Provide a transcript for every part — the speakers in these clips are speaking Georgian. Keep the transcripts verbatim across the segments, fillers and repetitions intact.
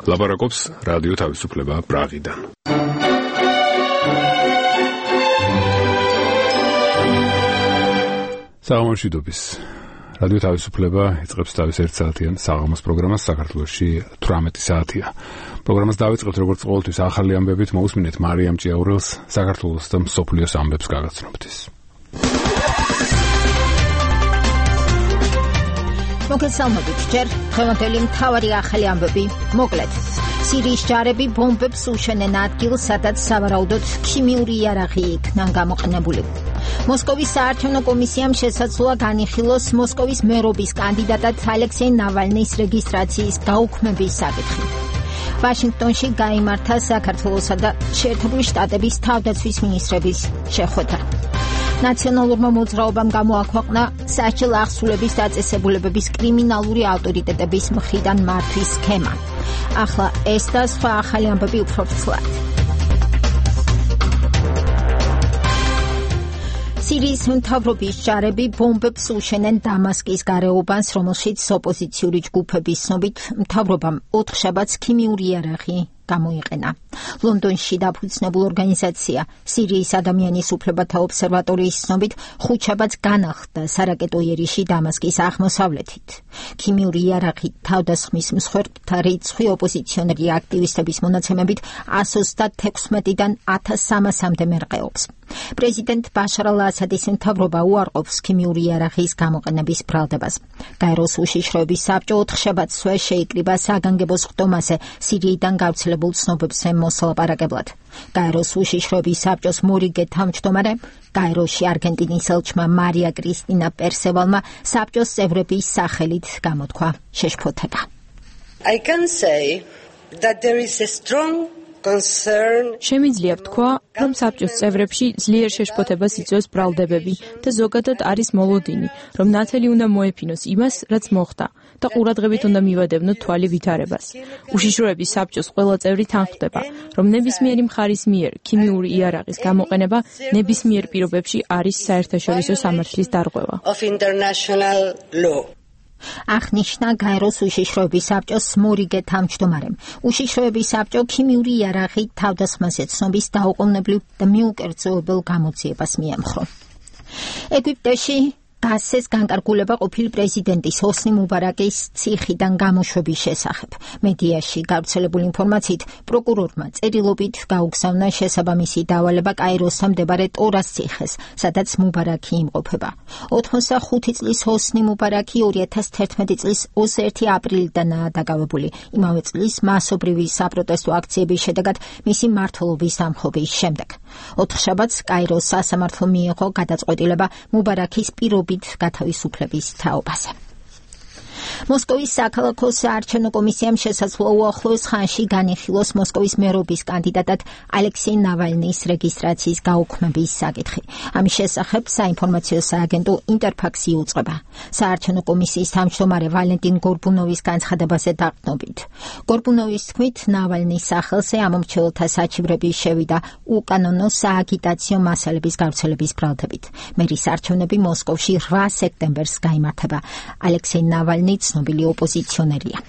ლაპარაკობს რადიო თავისუფლება პრაღიდან. საღამოშვიდობის. რადიო თავისუფლება იწყებს თავის ერთ საათიან საღამოს პროგრამას საქართველოში თვრამეტი საათია. პროგრამას დავიწყებთ როგორც ყოველთვის ახალი ამბებით, მოусმინეთ მარიამ ჭიაურელს საქართველოს და მსოფლიოს ამბებს გაგაცნობთ. მოგესალმებით, ჯერ დღევანდელი მთავარი ახალი ამბები მოკლედ. სირიის ჯარები ბომბებს უშენენ ადგილს, სადაც სავარაუდოდ ქიმიური იარაღი იქნა გამოყენებული. მოსკოვის საარჩევნო კომისიამ შესაძლოა განიხილოს მოსკოვის მერობის კანდიდატად ალექსეი ნავალნის რეგისტრაციის გაუქმების საკითხი. ვაშინგტონში გაიმართა საქართველოსა და შეერთებული შტატების თავდაცვის მინისტრების შეხვედრა. ნაციონალურმა მოძრაობამ გამოაქვეყნა სასჯელ აღსრულების დაწესებულებების კრიმინალური ავტორიტეტების მხრიდან მართვის სქემა. ახლა ეს და სხვა ახალი ამბები უფრო ფრთხილად. სირიის მთავრობის ჯარები ბომბებს უშენენ დამასკის გარეუბანს, რომელშიც ოპოზიციური ჯგუფების ცნობით მთავრობამ ოთხშაბათს ქიმიური იარაღი გამოიყენა. ლონდონში დაფუძნებულ ორგანიზაცია სირიის ადამიანის უფლებათა ობსერვატორიის ცნობით ხუთშაბათს განახლდა სარაკეტო იერიში დამასკის აღმოსავლეთით. ქიმიური იარაღი თავდასხმის მსხვერპლთა რიცხვი ოპოზიციონერი აქტივისტების მონაცემებით ას ოცდათექვსმეტიდან ათას სამასამდე მერყეობს. პრეზიდენტ ბაშარ ალ-ასადის მთავრობა უარყოფს ქიმიური იარაღის გამოყენების ბრალდებას. გაეროს უშიშროების საბჭო ოთხშაბათსვე შეიკრიბა საგანგებო სხდომაზე სირიიდან გავრცელებულ ცნობებზე მოსალაპარაკებლად. გაეროს უშიშროების საბჭოს მორიგე თავმჯდომარე, გაეროში არგენტინის ელჩმა მარია კრისტინა პერსევალმა საბჭოს წევრების სახელით გამოთქვა შეშფოთება. I can say that there is a strong შემიძლია ვთქვა, რომ საბჭოს წევრებში ძლიერ შეშფოთებას იწვევს ბრალდებები და ზოგადად არის მოლოდინი, რომ ნათელი უნდა მოეფინოს იმას, რაც მოხდა და ყურადღებით უნდა მივადევნოთ თვალი ვითარებას. უშიშროების საბჭოს ყველა წევრი თანხმდება, რომ ნებისმიერი მხარის მიერ ქიმიური იარაღის გამოყენება ნებისმიერ პირობებში არის საერთაშორისო სამართლის დარღვევა. აღნიშნა გაეროს უშიშროების საბჭოს მორიგე თავმჯდომარემ. უშიშროების საბჭო ქიმიური იარაღი თავდასხმაზე ცნობის დაუყოვნებლივ და მიუკერძოებელ გამოძიებას მიემხრო. ეგვიპტეში გასცეს განკარგულება ყოფილი პრეზიდენტის ჰოსნი მუბარაკის ციხიდან გამოშვების შესახებ. მედიაში გავრცელებული ინფორმაციით პროკურორმა წერილობით გაუგზავნა შესაბამისი დავალება კაიროსთან მდებარე ტორას ციხეს, სადაც მუბარაკი იმყოფება. ოცდახუთი წლის ჰოსნი მუბარაკი ორი ათას თერთმეტი წლის ოცდაერთი აპრილიდანაა დაკავებული. იმავე წლის მასობრივი საპროტესტო აქციების შედეგად მისი მმართველობის დამხობის შემდეგ. ოთხშაბათს კაიროს სასამართლომ მიიღო გადაწყვეტილება მუბარაკის პირობ გათავისუფლების თაობაზე. მოსკოვის საქალაქო საარჩევნო კომისიამ შესაძლოა უახლოეს ხანში განიხილოს მოსკოვის მერობის კანდიდატად ალექსეი ნავალნის რეგისტრაციის გაუქმების საკითხი. ამის შესახებ საინფორმაციო სააგენტო ინტერფაქსი იუწყება. საარჩევნო კომისიის თავმჯდომარე ვალენტინ გორბუნოვის განცხადებაზე დაყრდნობით. გორბუნოვის თქმით, ნავალნის სახელზე ამომრჩეველთა საჩივრების შევიდა უკანონო სააგიტაციო მასალების გავრცელების ბრალდებით. მერის არჩევნები მოსკოვში რვა სექტემბერს გაიმართება. ალექსეი ნავალნი ცნობილი ოპოზიციონერია.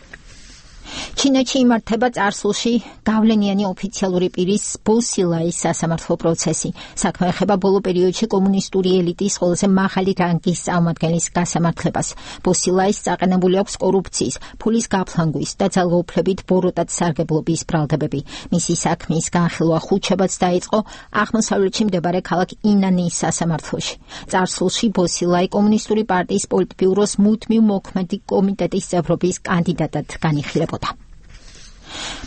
ჩინეთში იმართება წარსულში გავლენიანი ოფიციალური პირის ბოსილაის სასამართლო პროცესი. საქმე ეხება ბოლო პერიოდში კომუნისტური ელიტის ყველაზე მაღალი რანგის წარმომადგენლის გასამართლებას. ბოსილაის წაყენებული აქვს კორუფციის, ფულის გაფლანგვის და ძალაუფლებით ბოროტად სარგებლობის ბრალდებები. მისი საქმის განხილვა ხუთშაბათს დაიწყო აღმოსავლეთში მდებარე ქალაქ ინანის სასამართლოში. წარსულში ბოსილაი კომუნისტური პარტიის პოლიტბიუროს მუდმივ მოქმედი კომიტეტის წევრობის კანდიდატად განიხილებოდა.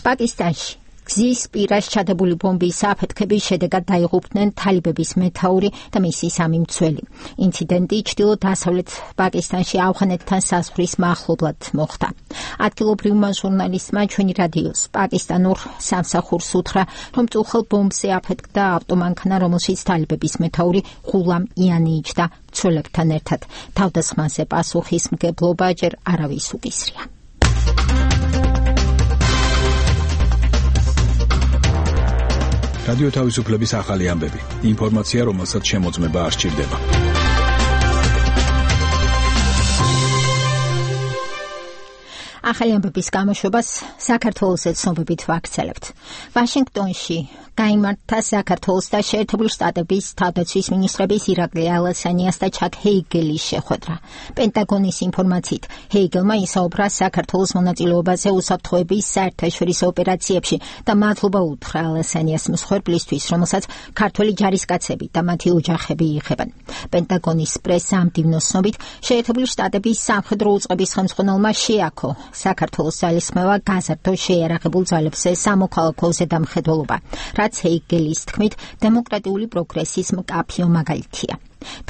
პაკისტანში გზის პირას ჩადებული ბომბის აფეთქების შედეგად დაიღუპნენ თალიბების მეთაური და მისი სამი მცველი. ინციდენტი ჩრდილო-დასავლეთ პაკისტანში ავღანეთთან საზღვრის მახლობლად მოხდა. ადგილობრივმა ჟურნალისტმა ჩვენი რადიოს პაკისტანურ სამსახურს უთხრა, რომ წუხელ ბომბზე აფეთქდა ავტომანქანა, რომელშიც თალიბების მეთაური ღულამ იანი იჯდა მცველებთან ერთად. თავდასხმაზე პასუხისმგებლობა ჯერ არავის უკისრია. რადიო თავისუფლების ახალი ამბები. ინფორმაცია, რომელსაც შემოწმება არ სჭირდება. ახალი ამბების გამოშვებას საქართველოს ცნობებით ვაქცელებთ. ვაშინგტონში გაიმართა საქართველოს და შეერთებული შტატების თავდაცვის მინისტრების ირაკლი ალასანიას და ჩაკ ჰეიგელის შეხვედრა. პენტაგონის ინფორმაციით, ჰეიგელმა ისაუბრა საქართველოს მონაწილეობაზე უსაფრთხოების საერთაშორისო ოპერაციებში და მადლობა უთხრა ალასანიას მსხვერპლისთვის, რომელსაც ქართველი ჯარისკაცები და მათი ოჯახები იღებენ. პენტაგონის პრესამდივნოს ცნობით, შეერთებული შტატების სამხედრო უწყების ხელმძღვანელმა შეაქო საქართველოს ძალისხმევა გაზარდო შეიარაღებულ ძალებზე სამოქალაქო ზედამხედველობა, რაც ჰეიგელის თქმით დემოკრატიული პროგრესის მკაფიო მაგალითია.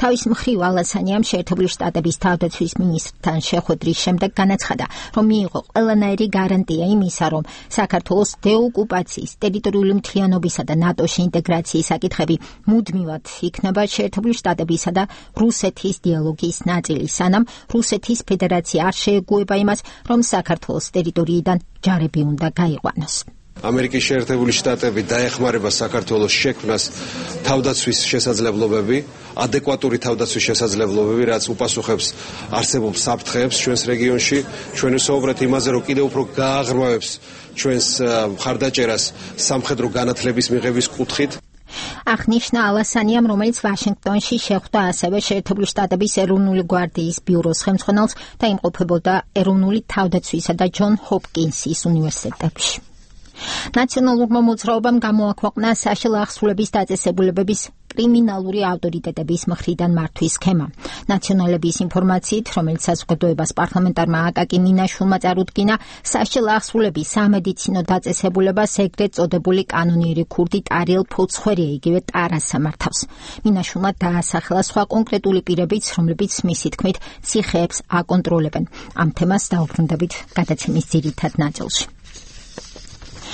თავის მხრივ ალასანიამ შეერთებული შტატების თავდაცვის მინისტრთან შეხვედრის შემდეგ განაცხადა, რომ მიიღო ყველანაირი გარანტია იმისა, რომ საქართველოს დეოკუპაციის, ტერიტორიული მთლიანობისა და ნატოში ინტეგრაციის საკითხები მუდმივად იქნება შეერთებული შტატებისა და რუსეთის დიალოგის ნაწილი, სანამ რუსეთის ფედერაცია არ შეეგუება იმას, რომ საქართველოს ტერიტორიიდან ჯარები უნდა გაიყვანოს. ამერიკის შეერთებული შტატები დაეხმარება საქართველოს შექმნას თავდაცვის შესაძლებლობები, ადეკვატური თავდაცვის შესაძლებლობები, რაც უპასუხებს არსებულ საფრთხეებს ჩვენს რეგიონში. ჩვენ ვსაუბრეთ იმაზე, რომ კიდევ უფრო გააღრმავებს ჩვენს მხარდაჭერას სამხედრო განათლების მიღების კუთხით. აღნიშნა ალასანიამ, რომელიც ვაშინგტონში შეხვდა ასევე შეერთებული შტატების ეროვნული გვარდიის ბიუროს ხელმძღვანელს და იმყოფებოდა ეროვნული თავდაცვისა და ჯონ ჰოპკინსის უნივერსიტეტებში. ნაციონალურმა მოძრაობამ გამოაქვეყნა საშიაო აღსრულების დაწესებულებების კრიმინალური ავტორიტეტების მხრიდან მართვის სქემა. ნაციონალების ინფორმაციით, რომელიც საზოგადოებას პარლამენტარმა აკაკი მინაშვილმა წარუდგინა, საშიაო აღსრულების სამედიცინო დაწესებულებას ეგრეთ წოდებული კანონიერი ქურდი ტარიელ ფოცხვერია იგივე ტარასა მართავს. მინაშვილმა დაასახელა სხვა კონკრეტული პირებიც, რომლებიც მისი თქმით ციხეებს აკონტროლებენ. ამ თემას დაუბრუნდებით გადაცემის ძირითად ნაწილში.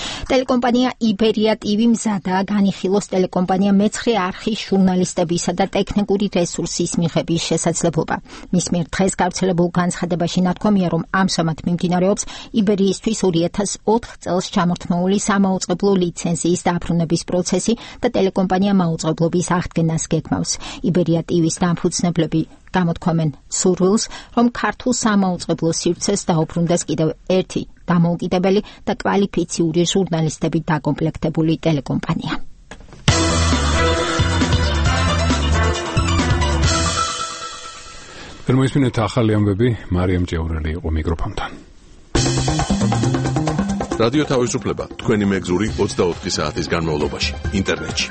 ტელეკომპანია იბერია ტივი მზადაა განიხილოს ტელეკომპანია მეცხრე არხის ჟურნალისტებისა და ტექნიკური რესურსის მიღების შესაძლებლობა. მის მიერ დღეს გავრცელებულ განცხადებაში ნათქვამია, რომ ამჟამად მიმდინარეობს იბერიისთვის ორი ათას ოთხ წელს ჩამორთმეული სამაუწყებლო ლიცენზიის დაბრუნების პროცესი და ტელეკომპანია მაუწყებლობის აღდგენას გეგმავს. იბერია ტივის დამფუძნებლები გამოთქვამენ სურვილს, რომ ქართულ სამაუწყებლო სივრცეს დაუბრუნდეს კიდევ ერთი დამოუკიდებელი და კვალიფიციური ჟურნალისტებით დაკომპლექტებული ტელეკომპანია. მოისმინეთ ახალი ამბები, მარიამ ჭეურელი იყო მიკროფონთან. რადიო თავისუფლება თქვენი მეგზური ოცდაოთხი საათის განმავლობაში ინტერნეტში.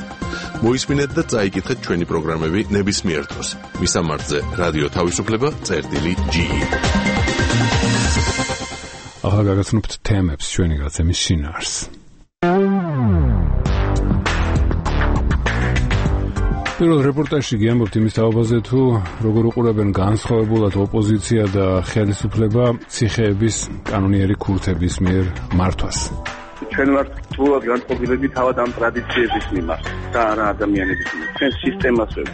მოისმინეთ და წაიკითხეთ ჩვენი პროგრამები ნებისმიერ დროს. მისამართზე რადიო თავისუფლება წერტილი ჯი. ახლა გაგაცნობთ თემებს ჩვენი გაცემის შინაარს. პირველ რეპორტაჟში გიამბობთ იმის თაობაზე, თუ როგორ უყურებენ განსხვავებულად ოპოზიცია და ხელისუფლება ციხეების კანონიერი ქურთების მიერ მართვას. ჩვენ ვართ სრულად განწყობილები თავად ამ ტრადიციების მიმართ და არა ადამიანების მიმართ. ჩვენ სისტემას ვებთ.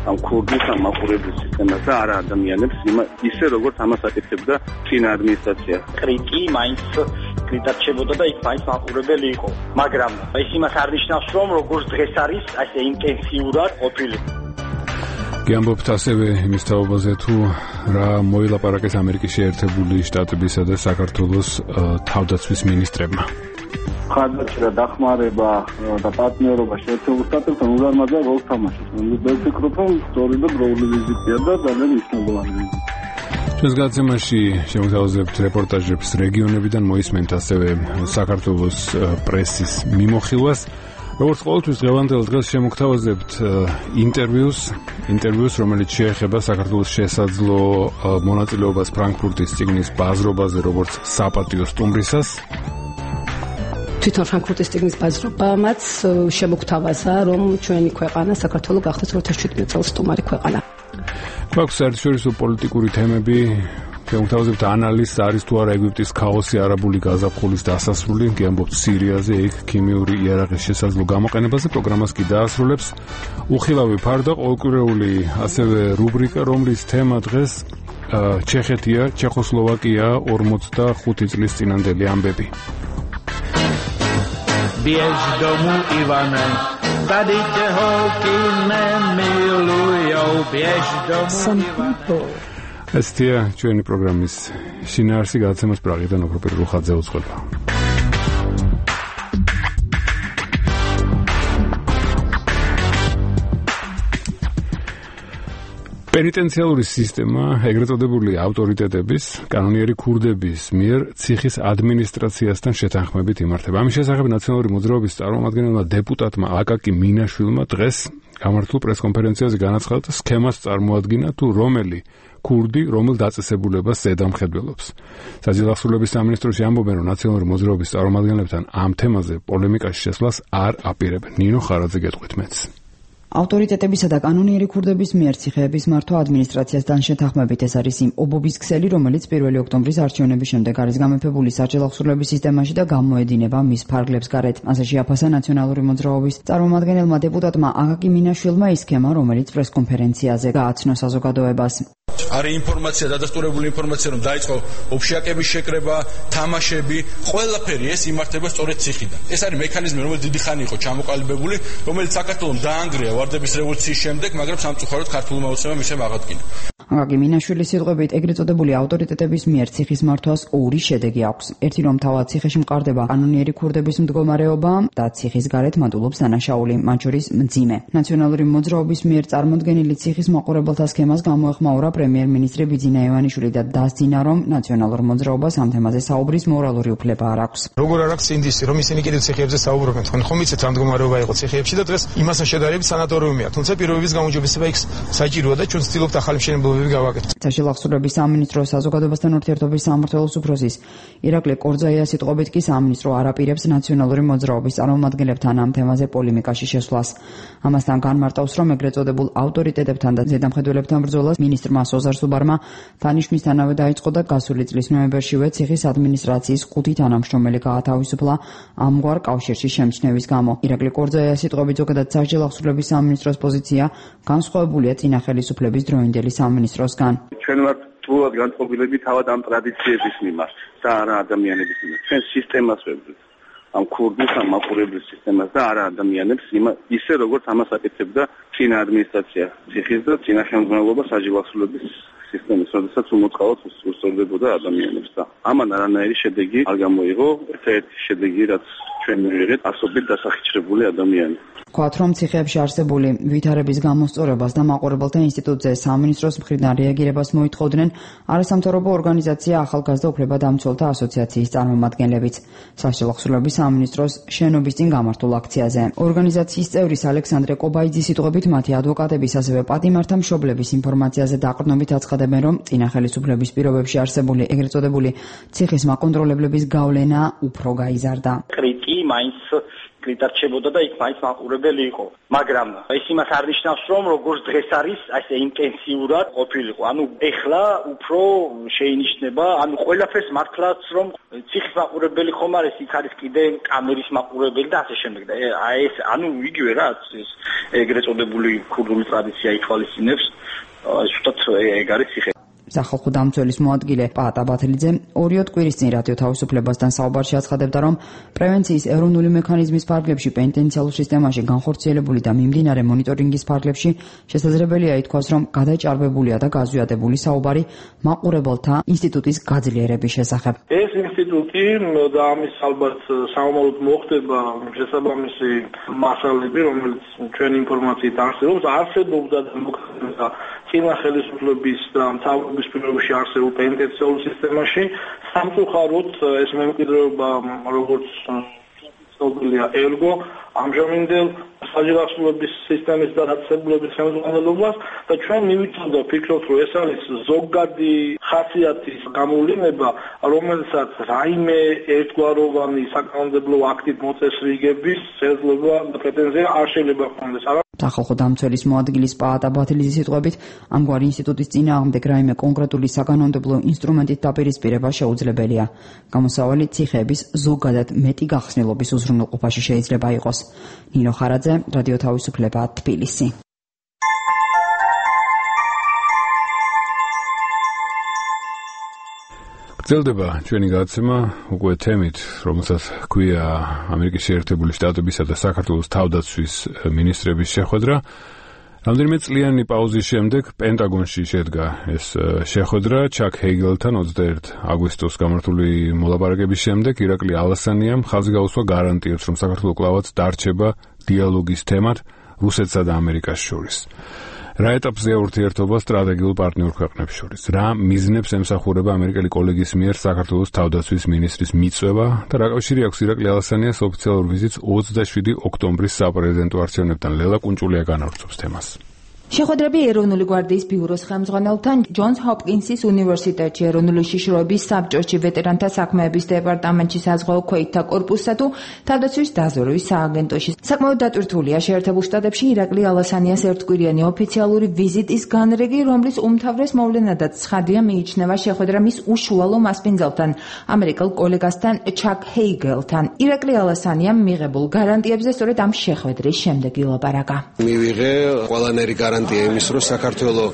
ამ ქურდის ამ მაყურებლის სისტემას და არა ადამიანებს, ისე როგორც ამას აკეთებდა წინა ადმინისტრაცია. კრიტი მაინც კრიტარჩებოდა და იქ მაინც მაყურებელი იყო. მაგრამ ეს იმას არ ნიშნავს, რომ როგორც დღეს არის, ასე ინტენსიურად ყოფილი. გიამბობთ ასევე იმის თაობაზე, თუ რა მოილაპარაკეს ამერიკის შეერთებული შტატებისა და საქართველოს თავდაცვის მინისტრებმა. ხარდაჭერა, დახმარება და პარტნიორობა შეერთებულ შტატებთან უზარმაზარ როლს თამაშობს. მე ვფიქრობ, რომ სწორი და დროული ვიზიტია და ძალიან მნიშვნელოვანი ვიზიტი. ჩვენს გაცემაში შემოგთავაზებთ რეპორტაჟებს რეგიონებიდან, მოისმენთ ასევე საქართველოს პრესის მიმოხილვას. როგორც ყოველთვის დღევანდელ დღეს შემოგთავაზებთ ინტერვიუს, ინტერვიუს, რომელიც შეეხება საქართველოს შესაძლო მონაწილეობას ფრანკფურტის წიგნის ბაზრობაზე, როგორც საპატიო სტუმრისას. თვითონ ფრანკფურტის წიგნის ბაზრობამაც შემოგთავაზა, რომ ჩვენი ქვეყანა საქართველო გახდეს ორი ათას შვიდმეტ წელს სტუმარი ქვეყანა. გვაქვს საერთაშორისო პოლიტიკური თემები. Შემოგთავაზებთ ანალიზს, არის თუ არა ეგვიპტის ქაოსი არაბული გაზაფხულის დასასრული, გიამბობთ სირიაზე, იქ ქიმიური იარაღის შესაძლო გამოყენებაზე. პროგრამას კი დაასრულებს უხილავი ფარდა, ყოველკვირეული ასევე რუბრიკა, რომლის თემა დღეს ჩეხეთია, ჩეხოსლოვაკია ორმოცდახუთი წლის წინანდელი ამბები. Biež domů, Ivane, tady tě holky nemilujou, biež domů, Ivane. ესთია ჩვენი პროგრამის შინაარსი გადაცემას პრაღიდან ოქრო პირველხაძე უძღვება. პენიტენციალური სისტემა, ეგრეთ წოდებული ავტორიტეტების, კანონიერი ქურდების მიერ ციხის ადმინისტრაციასთან შეთანხმებით იმართება. ამის შესახებ ნაციონალური მოძრაობის წარმომადგენელმა დეპუტატმა აკაკი მინაშვილმა დღეს გამართულ პრესკონფერენციაზე განაცხადა, სქემას წარმოადგინა თუ რომელი ქურდი რომელ დაწესებულებას ზედამხედველობს. საჯილახსოვრების სამინისტროში ამბობენ, რომ ნაციონალური მოძრაობის წარმომადგენლებთან ამ თემაზე პოლემიკაში შესვლას არ აპირებენ. ნინო ხარაძე გეტყვით მეც. ავტორიტეტებისა და კანონიერი ქურდების მიერ ციხეების მართვა ადმინისტრაციასთან შეთანხმებით ეს არის იმ ობობის ქსელი, რომელიც პირველი ოქტომბრის არჩევნების შემდეგ არის გამეფებული საჯილახსოვრების სისტემაში და გამოედინება მის ფარგლებს გარეთ. ასე შეაფასა ნაციონალური მოძრაობის წარმომადგენელმა დეპუტატმა აკაკი მინაშვილმა ის სქემა, რომელიც პრესკონფერენციაზე გააცნო საზოგადოებას. არის ინფორმაცია, დადასტურებული ინფორმაცია, რომ დაიწყო ოფშიაკების შეკრება, თამაშები, ყველაფერი ეს იმართება სწორედ ციხიდან. ეს არის მექანიზმი, რომელიც დიდი ხანი იყო ჩამოყალიბებული, რომელიც საქართველოს დაანგრია ვარდების რევოლუციის შემდეგ, მაგრამ სამწუხაროდ ქართულმა ოცნებამ ისევ აღადგინა. აკაკი მინაშვილის სიტყვებით, ეგრეთ წოდებული ავტორიტეტების მიერ ციხის მართვას ორი შედეგი აქვს. ერთი, რომ თავად ციხეში მყარდება კანონიერი ქურდების მდგომარეობა და ციხის გარეთ მატულობს დანაშაული, მათ შორის მძიმე. ნაციონალური მოძრაობის მიერ წარმოდგენილი ციხის მაყურებელთა სქემას გამოეხმაურა პრემიერ-მინისტრი ბიძინა ივანიშვილი და დასძინა, რომ ნაციონალურ მოძრაობას ამ თემაზე საუბრის მორალური უფლება არ აქვს. როგორ არ აქვს ინდისი, რომ ისინი კიდევ ციხეებზე საუბრობენ, თქვენ ხომ იცით რა მდგომარეობა იყო ციხეებში და დღეს იმასთან შედარებით სანატორიუმია, თუმცა პირობების გამოჯობესება იქ საჭიროა და ჩვენ ვცდილობთ ახალი მშენებლობები გავაკეთოთ. საჯილახსოვრების სამინისტროს საზოგადოებასთან ურთიერთობის სამმართველოს უფროსის ირაკლი კორძაიას სიტყვებით კი სამინისტრო არ აპირებს ნაციონალური მოძრაობის წარმომადგენლებთან ამ თემაზე პოლემიკაში შესვლას. ამასთან განმარტავს, რომ ეგრეთ წოდებულ ავტორიტეტებთან და ზედამხედველებთან ბრძოლას მინისტრმა სოზარ სუბარმა დანიშვნისთანავე დაიწყო და გასული წლის ნოემბერშივე ციხის ადმინისტრაციის ხუთი თანამშრომელი გაათავისუფლა ამგვარ კავშირში შემჩნევის გამო. ირაკლი კორძაიას სიტყვებით, ზოგადად საჯილახსოვრების სამინისტროს პოზიცია განსხვავებულია წინა ხელისუფლების დროინდელი სამინისტროსგან. ჩვენ ვართ თულად განწყობილები თავად ამ ტრადიციების მიმართ და არა ადამიანების მიმართ. ჩვენ სისტემას ვებრძვით. ამ ქურდის ამ მაყურებლის სისტემას და არა ადამიანებს, ისე როგორც ამას აკეთებდა წინა ადმინისტრაცია ციხის და წინა შემდგომლობა საჯილახსოვრების სისტემის, როდესაც უმოწყალოდ უსწორდებოდა ადამიანებს და ამან არანაირი შედეგი არ გამოიღო. ერთ-ერთი შედეგი, რაც ჩვენ მივიღეთ, ასობით დასახიჩრებული ადამიანი. ვთქვათ, რომ ციხეებში არსებული ვითარების გამოსწორებას და მაყურებელთა ინსტიტუტზე სამინისტროს მხრიდან რეაგირებას მოითხოვდნენ არასამთავრობო ორგანიზაცია ახალგაზრდა უფლებადამცველთა ასოციაციის წარმომადგენლებიც საჯილახსოვრების სამინისტროს შენობის წინ გამართულ აქციაზე. ორგანიზაციის წევრის ალექსანდრე კობაიძის სიტყვებით, მათი ადვოკატების ასევე პატიმართა მშობლების ინფორმაციაზე დაყრდნობით აცხადებენ, რომ წინა ხელისუფლების პირობებში არსებული ეგრეთ წოდებული ციხის მაკონტროლებლების გავლენა უფრო გაიზარდა. კრიტიკი მაინც გიტარჩებოდა და იქ მაინც მაყურებელი იყო. მაგრამ ეს იმას არ ნიშნავს, რომ როგორც დღეს არის, ასე ინტენსიურად ყოფილიყო. ანუ ეხლა უფრო შეინიშნება, ანუ ყველაფერს მართლაც რომ ციხის მაყურებელი ხომ არის, იქ არის კიდე კამერის მაყურებელი და ასე შემდეგ. და აი ეს ანუ იგივე რა, ეს ეგრეთ წოდებული ქურდული ტრადიცია ითვალისწინებს, ზუსტად ეგ არის ციხე. სახალხო დამცველის მოადგილე პაატა ბათელიძე ორიოდ კვირის წინ რადიო თავისუფლებასთან საუბარში აცხადებდა, რომ პრევენციის ეროვნული მექანიზმის ფარგლებში პენიტენციალურ სისტემაში განხორციელებული და მიმდინარე მონიტორინგის ფარგლებში შესაძლებელია ითქვას, რომ გადაჭარბებულია და გაზვიადებული საუბარი მაყურებელთა ინსტიტუტის გაძლიერების შესახებ. ეს ინსტიტუტი და ამის ალბათ საომაროდ მოხდება შესაბამისი მასალები, რომელიც ჩვენ ინფორმაციით არსებობს, არსებობდა და მოხდება წინა ხელისუფლების და მთავრობის პირობებში არსებულ პენიტენციალურ სისტემაში. სამწუხაროდ ეს მემკვიდრეობა, როგორც ცნობილია, ერგო ამჟამინდელ საჯილახსოვრების სისტემის და დაწესებულების ხელმძღვანელობას და ჩვენ მივიწევდა ვფიქრობთ, რომ ეს არის ზოგადი ხასიათის გამოვლენა, რომელსაც რაიმე ერთგვაროვანი საკანონმდებლო აქტით მოწესრიგების შესაძლებლობა და პრეტენზია არ შეიძლება ჰქონდეს. სახალხო დამცველის მოადგილის პაატა ბათელიძის სიტყვებით, ამგვარი ინსტიტუტის წინააღმდეგ რაიმე კონკრეტული საკანონმდებლო ინსტრუმენტით დაპირისპირება შეუძლებელია. გამოსავალი ციხეების ზოგადად მეტი გახსნილობის უზრუნველყოფაში შეიძლება იყოს. ნინო ხარაძე, რადიო თავისუფლება, თბილისი. გრძელდება ჩვენი გადაცემა უკვე თემით, რომელსაც ჰქვია ამერიკის შეერთებული შტატებისა და საქართველოს თავდაცვის მინისტრების შეხვედრა. რამდენიმე წლიანი პაუზის შემდეგ პენტაგონში შედგა ეს შეხვედრა ჩაკ ჰეიგელთან ოცდაერთი აგვისტოს გამართული მოლაპარაკების შემდეგ ირაკლი ალასანიამ ხაზი გაუსვა გარანტიებს, რომ საქართველო კვლავაც დარჩება დიალოგის თემად რუსეთსა და ამერიკას შორის. რა ეტაპზეა ურთიერთობა სტრატეგიულ პარტნიორ ქვეყნებს შორის? რა მიზნებს ემსახურება ამერიკელი კოლეგის მიერ საქართველოს თავდაცვის მინისტრის მიწვევა და რა კავშირი აქვს ირაკლი ალასანიას ოფიციალურ ვიზიტს ოცდაშვიდი ოქტომბრის საპრეზიდენტო არჩევნებთან? ლელა კუნჭულია განავრცობს თემას. შეხვედრები ეროვნული გვარდიის ბიუროს ხელმძღვანელთან, ჯონს ჰოპკინსის უნივერსიტეტში, ეროვნული უშიშროების საბჭოში, ვეტერანთა საქმეების დეპარტამენტში, საზღვაო ქვეითთა კორპუსსა თუ თავდაცვის დაზვერვის სააგენტოში. საკმაოდ დატვირთულია შეერთებულ შტატებში ირაკლი ალასანიას ერთკვირიანი ოფიციალური ვიზიტის განრიგი, რომლის უმთავრეს მოვლენადაც ცხადია მიიჩნევა შეხვედრა მის უშუალო მასპინძელთან, ამერიკელ კოლეგასთან ჩაკ ჰეიგელთან. ირაკლი ალასანიამ მიღებულ გარანტიებზე სწორედ ამ შეხვედრის შემდეგ ილაპარაკა. მივიღე ყველანაირი გარანტია იმის, რომ საქართველოს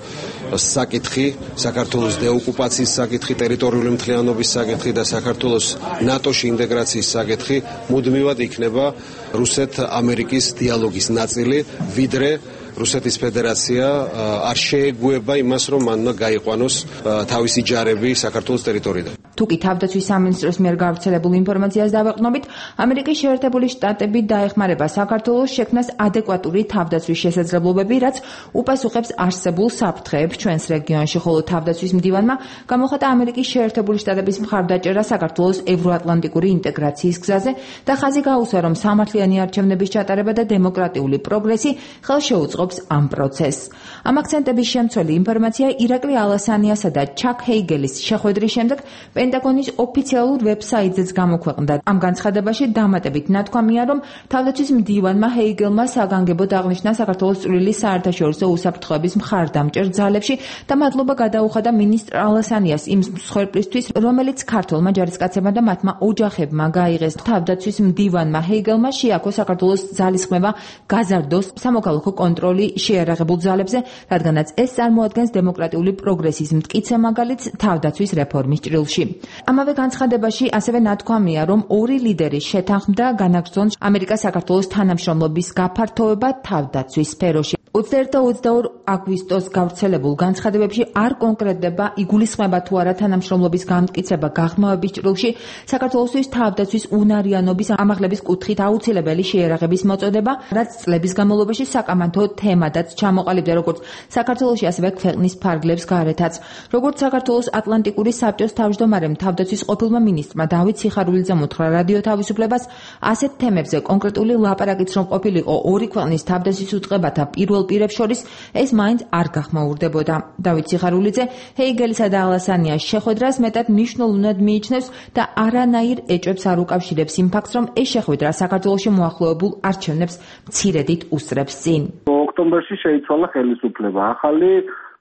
საკითხი, საქართველოს დეოკუპაციის საკითხი, ტერიტორიული მთლიანობის საკითხი და საქართველოს ნატოში ინტეგრაციის საკითხი მუდმივად იქნება რუსეთ-ამერიკის დიალოგის ნაწილი, ვიდრე რუსეთის ფედერაცია არ შეეგუება იმას, რომ მან უნდა გაიყვანოს თავისი ჯარები საქართველოს ტერიტორიიდან. თუკი თავდაცვის სამინისტროს მიერ გავრცელებულ ინფორმაციას დავეყრდნობით, ამერიკის შეერთებული შტატები დაეხმარება საქართველოს შექმნას ადეკვატური თავდაცვის შესაძლებლობები, რაც უპასუხებს არსებულ საფრთხეებს ჩვენს რეგიონში, ხოლო თავდაცვის მდივანმა გამოხატა ამერიკის შეერთებული შტატების მხარდაჭერა საქართველოს ევროატლანტიკური ინტეგრაციის გზაზე და ხაზი გაუსვა, რომ სამართლიანი არჩევნების ჩატარება და დემოკრატიული პროგრესი ხელშეუწყობს ამ პროცესს. ამ აქცენტების შემცველი ინფორმაცია ირაკლი ალასანიასა და ჩაკ ჰეიგელის შეხვედრის შემდეგ პენტაგონის ოფიციალურ ვებსაიტზეც გამოქვეყნდა. ამ განცხადებაში დამატებით ნათქვამია, რომ თავდაცვის მდივანმა ჰეიგელმა საგანგებოდ აღნიშნა საქართველოს წვრილი საერთაშორისო უსაფრთხოების მხარდამჭერ ძალებში და მადლობა გადაუხადა მინისტრ ალასანიას იმ მსხვერპლისთვის, რომელიც ქართველმა ჯარისკაცებმა და მათმა ოჯახებმა გაიღეს. თავდაცვის მდივანმა ჰეიგელმა შეაქო საქართველოს ძალისხმევა გაზარდოს სამოქალაქო კონტროლი შეიარაღებულ ძალებზე, რადგანაც ეს წარმოადგენს დემოკრატიული პროგრესის მტკიცე მაგალითს თავდაცვის რეფორმის ჭრილში. ამავე განცხადებაში ასევე ნათქვამია, რომ ორი ლიდერი შეთანხმდა განაგრძონ ამერიკა-საქართველოს თანამშრომლობის გაფართოება თავდაცვის სფეროში. ოცდაერთი და ოცდაორი აგვისტოს გავრცელებულ განცხადებებში არ კონკრეტდება იგულისხმება თუ არა თანამშრომლობის გამტკიცება გაღრმავების ჭრილში, საქართველოსთვის თავდაცვის უნარიანობის ამაღლების კუთხით აუცილებელი შეიარაღების მოწოდება, რაც წლების განმავლობაში საკამათო თემადაც ჩამოყალიბდა როგორც საქართველოში, ასევე ქვეყნის ფარგლებს გარეთაც. როგორც საქართველოს ატლანტიკური საბჭოს თავმჯდომარემ თავდაცვის ყოფილმა მინისტრმა დავით სიხარულიძემ უთხრა რადიო თავისუფლებას, ასეთ თემებზე კონკრეტული ლაპარაკიც რომ ყოფილიყო ორი ქვეყნის თავდაცვის უწყებათა პირველ პირებს შორის, ეს მაინც არ გახმაურდებოდა. დავით სიხარულიძე ჰეიგელისა და ალასანიას შეხვედრას მეტად მნიშვნელოვნად მიიჩნევს და არანაირ ეჭვებს არ უკავშირებს იმ ფაქტს, რომ ეს შეხვედრა საქართველოში მოახლოებულ არჩევნებს მცირედით უსწრებს წინ. ოქტომბერში შეიცვალა ხელისუფლება. ახალი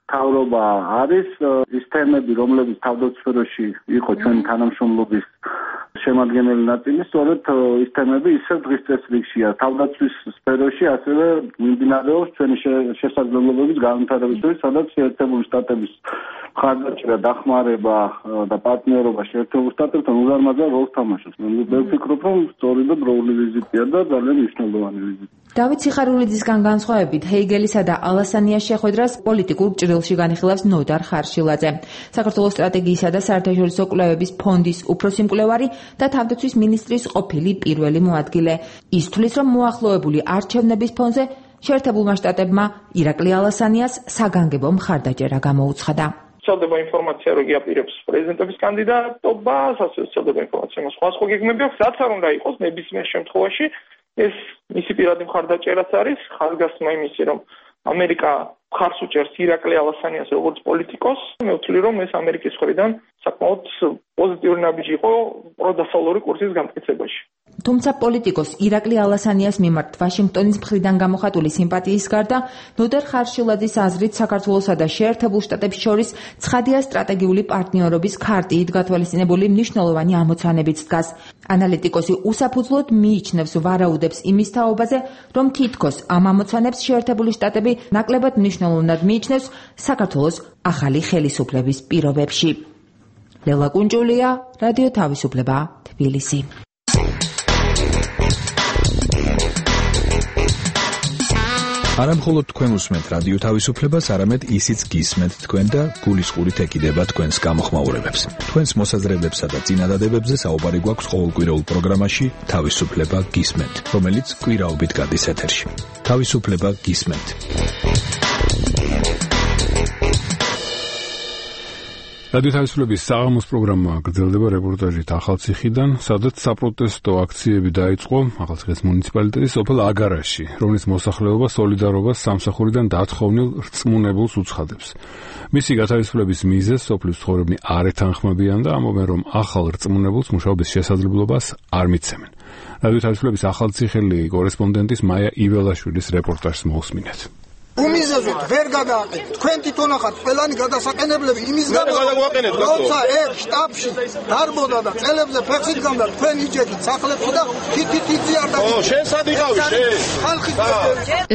თავრობა არის, ის თემები, რომლებიც თავდაცვის სფეროში იყო ჩვენი თანამშრომლობის შემადგენელი ნაწილი, სწორედ ის თემები ისევ დღის წესრიგშია. თავდაცვის სფეროში ასევე მიმდინარეობს ჩვენი შესაძლებლობების განვითარების, სადაც შეერთებული შტატების მხარდაჭერა, დახმარება და პარტნიორობა შეერთებულ შტატებთან უზარმაზარ როლს თამაშობს. მე ვფიქრობ, რომ სწორედ დროული ვიზიტია და ძალიან მნიშვნელოვანი ვიზიტი. დავით სიხარულიძისგან განსხვავებით, ჰეიგელისა და ალასანიას შეხვედრას პოლიტიკურ ჭრილში განიხილავს ნოდარ ხარშილაძე, საქართველოს სტრატეგიისა და საერთაშორისო კვლევების ფონდის უფროსი მკვლევარი და თავდაცვის მინისტრის ყოფილი პირველი მოადგილე. ის თვლის, რომ მოახლოებული არჩევნების ფონზე შეერთებულმა შტატებმა ირაკლი ალასანიას საგანგებო მხარდაჭერა გამოუცხადა. ვრცელდება ინფორმაცია, რომ იაპირებს პრეზიდენტობის კანდიდატობას, ასე ვრცელდება ინფორმაცია, რომ სხვა სხვა გეგმები აქვს, რაც არ უნდა იყოს ნებისმიერ შემთხვევაში. ეს მისი პირადი მხარდაჭერაც არის, ხაზგასმა იმისი, რომ ამერიკა მხარს უჭერს ირაკლი ალასანიას როგორც პოლიტიკოს. მე ვთვლი, რომ ეს ამერიკის მხრიდან საკმაოდ პოზიტიური ნაბიჯი იყო პროდასავლური კურსის გამტკიცებაში. თუმცა პოლიტიკოს ირაკლი ალასანიას მიმართ ვაშინგტონის მხრიდან გამოხატული სიმპათიის გარდა, ნოდარ ხარშილაძის აზრით საქართველოსა და შეერთებულ შტატებს შორის ცხადია სტრატეგიული პარტნიორობის ქარტიით გათვალისწინებული მნიშვნელოვანი ამოცანებიც დგას. ანალიტიკოსი უსაფუძვლოდ მიიჩნევს ვარაუდებს იმის თაობაზე, რომ თითქოს ამ ამოცანებს შეერთებული შტატები ნაკლებად მნიშვნელოვნად მიიჩნევს საქართველოს ახალი ხელისუფლების პირობებში. ლელა კუნჭულია, რადიო თავისუფლება, თბილისი. არა მხოლოდ თქვენ უსმენთ რადიო თავისუფლებას, არამედ ისიც გისმენთ თქვენ და გულისყურით ეკიდება თქვენს გამოხმაურებებს. თქვენს მოსაზრებებსა და წინადადებებზე საუბარი გვაქვს ყოველკვირეულ პროგრამაში თავისუფლება გისმენთ, რომელიც კვირაობით გადის ეთერში. თავისუფლება გისმენთ. რადიო თავისუფლების საღამოს პროგრამა გრძელდება რეპორტაჟით ახალციხიდან, სადაც საპროტესტო აქციები დაიწყო ახალციხის მუნიციპალიტეტის სოფელ აგარაში, რომლის მოსახლეობა სოლიდარობას სამსახურიდან დათხოვნილ რწმუნებულს უცხადებს. მისი გათავისუფლების მიზეზს სოფლის მცხოვრებნი არ ეთანხმებიან და ამბობენ, რომ ახალ რწმუნებულს მუშაობის შესაძლებლობას არ მიცემენ. რადიო თავისუფლების ახალციხელი კორესპონდენტის მაია იველაშვილის რეპორტაჟს მოусმინეთ. უმიზეზოთ ვერ გადააყენეთ. თქვენ თვითონ ახართ ყველანი გადასაყენებლები იმის გამო, როცა ერთ შტაბში დარბოდა და წელებზე ფეხით გამდა თქვენ იჯეკით სახლებში და თითითი არ და ო შენ სად იყავი შენ? ხალხი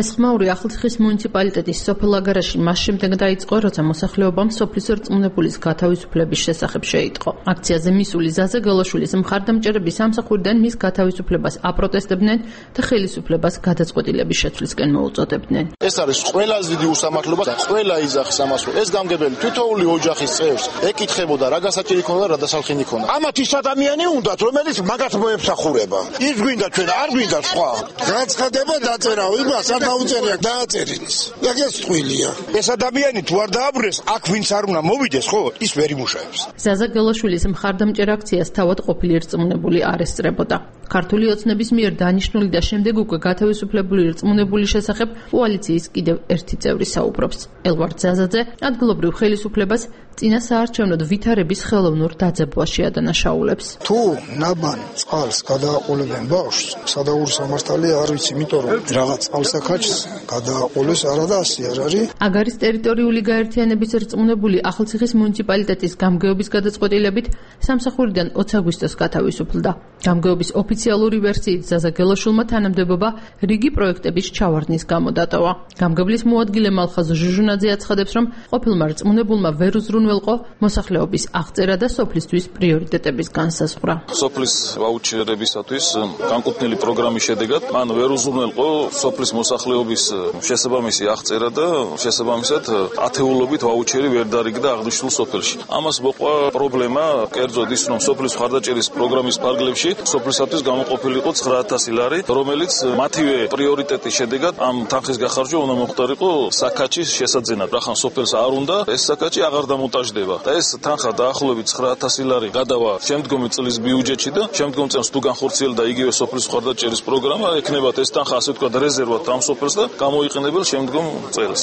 ეს ხმაური ახალციხის მუნიციპალიტეტის სოფელ აგარაში მას შემდეგ დაიწყო, როცა მოსახლეობამ სოფლის რწმუნებულის გათავისუფლების შესახებ შეიტყო. აქციაზე მისული ზაზა გელაშვილის მხარდამჭერები სამსახურიდან მის გათავისუფლებას აპროტესტებდნენ და ხელისუფლებას გადაწყვეტილების შეცვლისკენ მოუწოდებდნენ. ეს არის ყველაზე დიდი უსამართლობა და ყველა იძახის ამას, რომ ეს გამგებელი თითოეული ოჯახის წევრს ეკითხებოდა რა გასაჭირი ქონდა, რა დასალხინი ქონდა. ამათ ის ადამიანი უნდათ, რომელიც მაგათ მოემსახურება. ის გვინდა ჩვენ, არ გვინდა სხვა. გაცხადება დაწერაო, იმას არ დაუწერია, დააწერინის. ეგეც ტყუილია. ეს ადამიანი თუ არ დააბრუნეს, აქ ვინც არ უნდა მოვიდეს, ხო, ის ვერ იმუშავებს. ზაზა გელაშვილის მხარდამჭერ აქციას თავად ყოფილი რწმუნებული არ ესწრებოდა. ქართული ოცნების მიერ დანიშნული და შემდეგ უკვე გათავისუფლებული რწმუნებულის შესახებ კოალიციის კიდევ ერთი წევრი საუბრობს. ელვარდ ზაზაძე ადგილობრივ ხელისუფლებას წინა საარჩევნოდ ვითარების ხელოვნურ დაძაბვაში ადანაშაულებს. თუ ნაბან წყალს გადააყოლებენ ბავშვს, სადაური სამართალია არ ვიცი, იმიტომ რომ რაღაც წყალსაქაჩს გადააყოლეს არა და ასე არ არის. აგარის ტერიტორიული გაერთიანების რწმუნებული ახალციხის მუნიციპალიტეტის გამგეობის გადაწყვეტილებით სამსახურიდან ოცი აგვისტოს გათავისუფლდა. გამგეობის ოფიციალური ვერსიით ზაზა გელაშვილმა თანამდებობა რიგი პროექტების ჩავარდნის გამო დატოვა. გამგებლის მოადგილე მალხაზ ჟუჟუნაძე აცხადებს, რომ ყოფილმა რწმუნებულმა ვერ უზრუნველყო მოსახლეობის აღწერა და სოფლისთვის პრიორიტეტების განსაზღვრა. სოფლის ვაუჩერებისათვის განკუთვნილი პროგრამის შედეგად მან ვერ უზრუნველყო სოფლის მოსახლეობის შესაბამისი აღწერა და შესაბამისად ათეულობით ვაუჩერი ვერ დარიგდა აღნიშნულ სოფელში. ამას მოყვა პრობლემა, კერძოდ ის, რომ სოფლის მხარდაჭერის პროგრამის ფარგლებში სოფლისათვის გამოყოფილიყო ცხრა ათასი ლარი, რომელიც მათივე პრიორიტეტის შედეგად ამ თანხის გახარჯვა უნდა მოხდარიყო საკაჩის შესაძენად. რახან სოფელს არ უნდა ეს საკაჩი აღარ დამონტაჟდება და ეს თანხა დაახლოებით ცხრა ათასი ლარი გადავა შემდგომი წლის ბიუჯეტში და შემდგომ წელს თუ განხორციელდა იგივე სოფლის მხარდაჭერის პროგრამა, ექნებათ ეს თანხა ასე ვთქვათ რეზერვად ამ სოფელს და გამოიყენებელ შემდგომ წელს.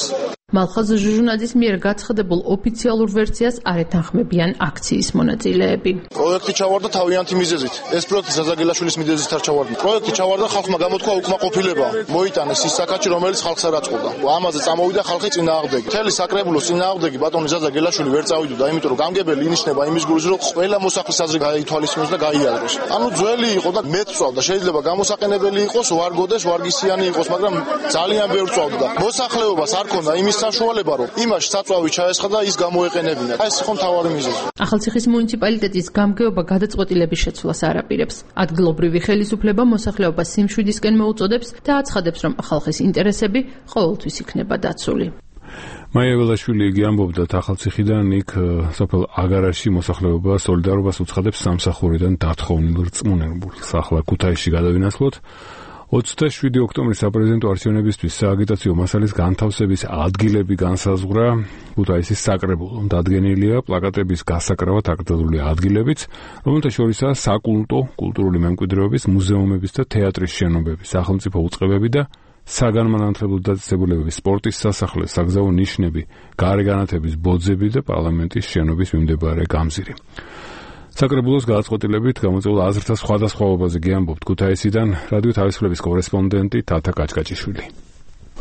მალხაზ ჟუჟუნაძის მიერ გაცხადებულ ოფიციალურ ვერსიას არ ეთანხმებიან აქციის მონაწილეები. პროექტი ჩავარდა თავიანთი მიზეზით. ეს პროექტი ზაზა გელაშვილის მიზეზით არ ჩავარდა. პროექტი ჩავარდა ხალხმა გამოთქვა უკმაყოფილება. მოიტანეს ის საკაჩი, რომელიც ხალხს არ აწყობდა. ამაზე წამოვიდა ხალხი წინააღმდეგი. მთელი საკრებულოს წინააღმდეგი ბატონი ზაზა გელაშვილი ვერ წავიდოდა, იმიტომ რომ გამგებელი ინიშნება იმის გულს, რომ ყველა მოსახლის აზრი გაითვალისწინოს და გაიაზროს. ანუ ძველი იყო და მეტ წავდა. შეიძლება გამოსაყენებელი იყოს, ვარგოდეს, ვარგისიანი იყოს, მაგრამ ძალიან ბევრ წავდა. მოსახლეობას არ ქონდა იმის საშუალება, რომ იმაში საწვავი ჩაესხა და ის გამოეყენებინა. ეს იყო მთავარი მიზეზი. ახალციხის მუნიციპალიტეტის გამგეობა გადაწყვეტილების შეცვლას არ აპირებს. ადგილობრივი ხელისუფლება მოსახლეობას სიმშვიდისკენ მოუწოდებს და აცხადებს, რომ ხალხის ინტერესები ყოველთვის იქნება დაცული. მაია იველაშვილი იგი ამბობდა ახალციხიდან იქ სოფელ აგარაში მოსახლეობა სოლიდარობას უცხადებს სამსახურიდან დათხოვნილ რწმუნებულს. ახლა ქუთაისში გადავინაცვლოთ. ოცდაშვიდი ოქტომბრის საპრეზიდენტო არჩევნებისთვის სააგიტაციო მასალის განთავსების ადგილები განსაზღვრა ქუთაისის საკრებულომ. დადგენილია პლაკატების გასაკრავად აკრძალული ადგილებიც, რომელთა შორისაა საკულტო, კულტურული მემკვიდრეობის, მუზეუმების და თეატრის შენობები, სახელმწიფო უწყებები და საგანმანათლებლო დაწესებულებების, სპორტის სასახლე, საგზაო ნიშნები, გარეგანათების ბოძები და პარლამენტის შენობის მიმდებარე გამზირი. საკრებულოს გადაწყვეტილებით გამოწვეულ აზრთა სხვადასხვაობაზე გიამბობთ ქუთაისიდან რადიო თავისუფლების კორესპონდენტი თათა კაჭკაჭიშვილი.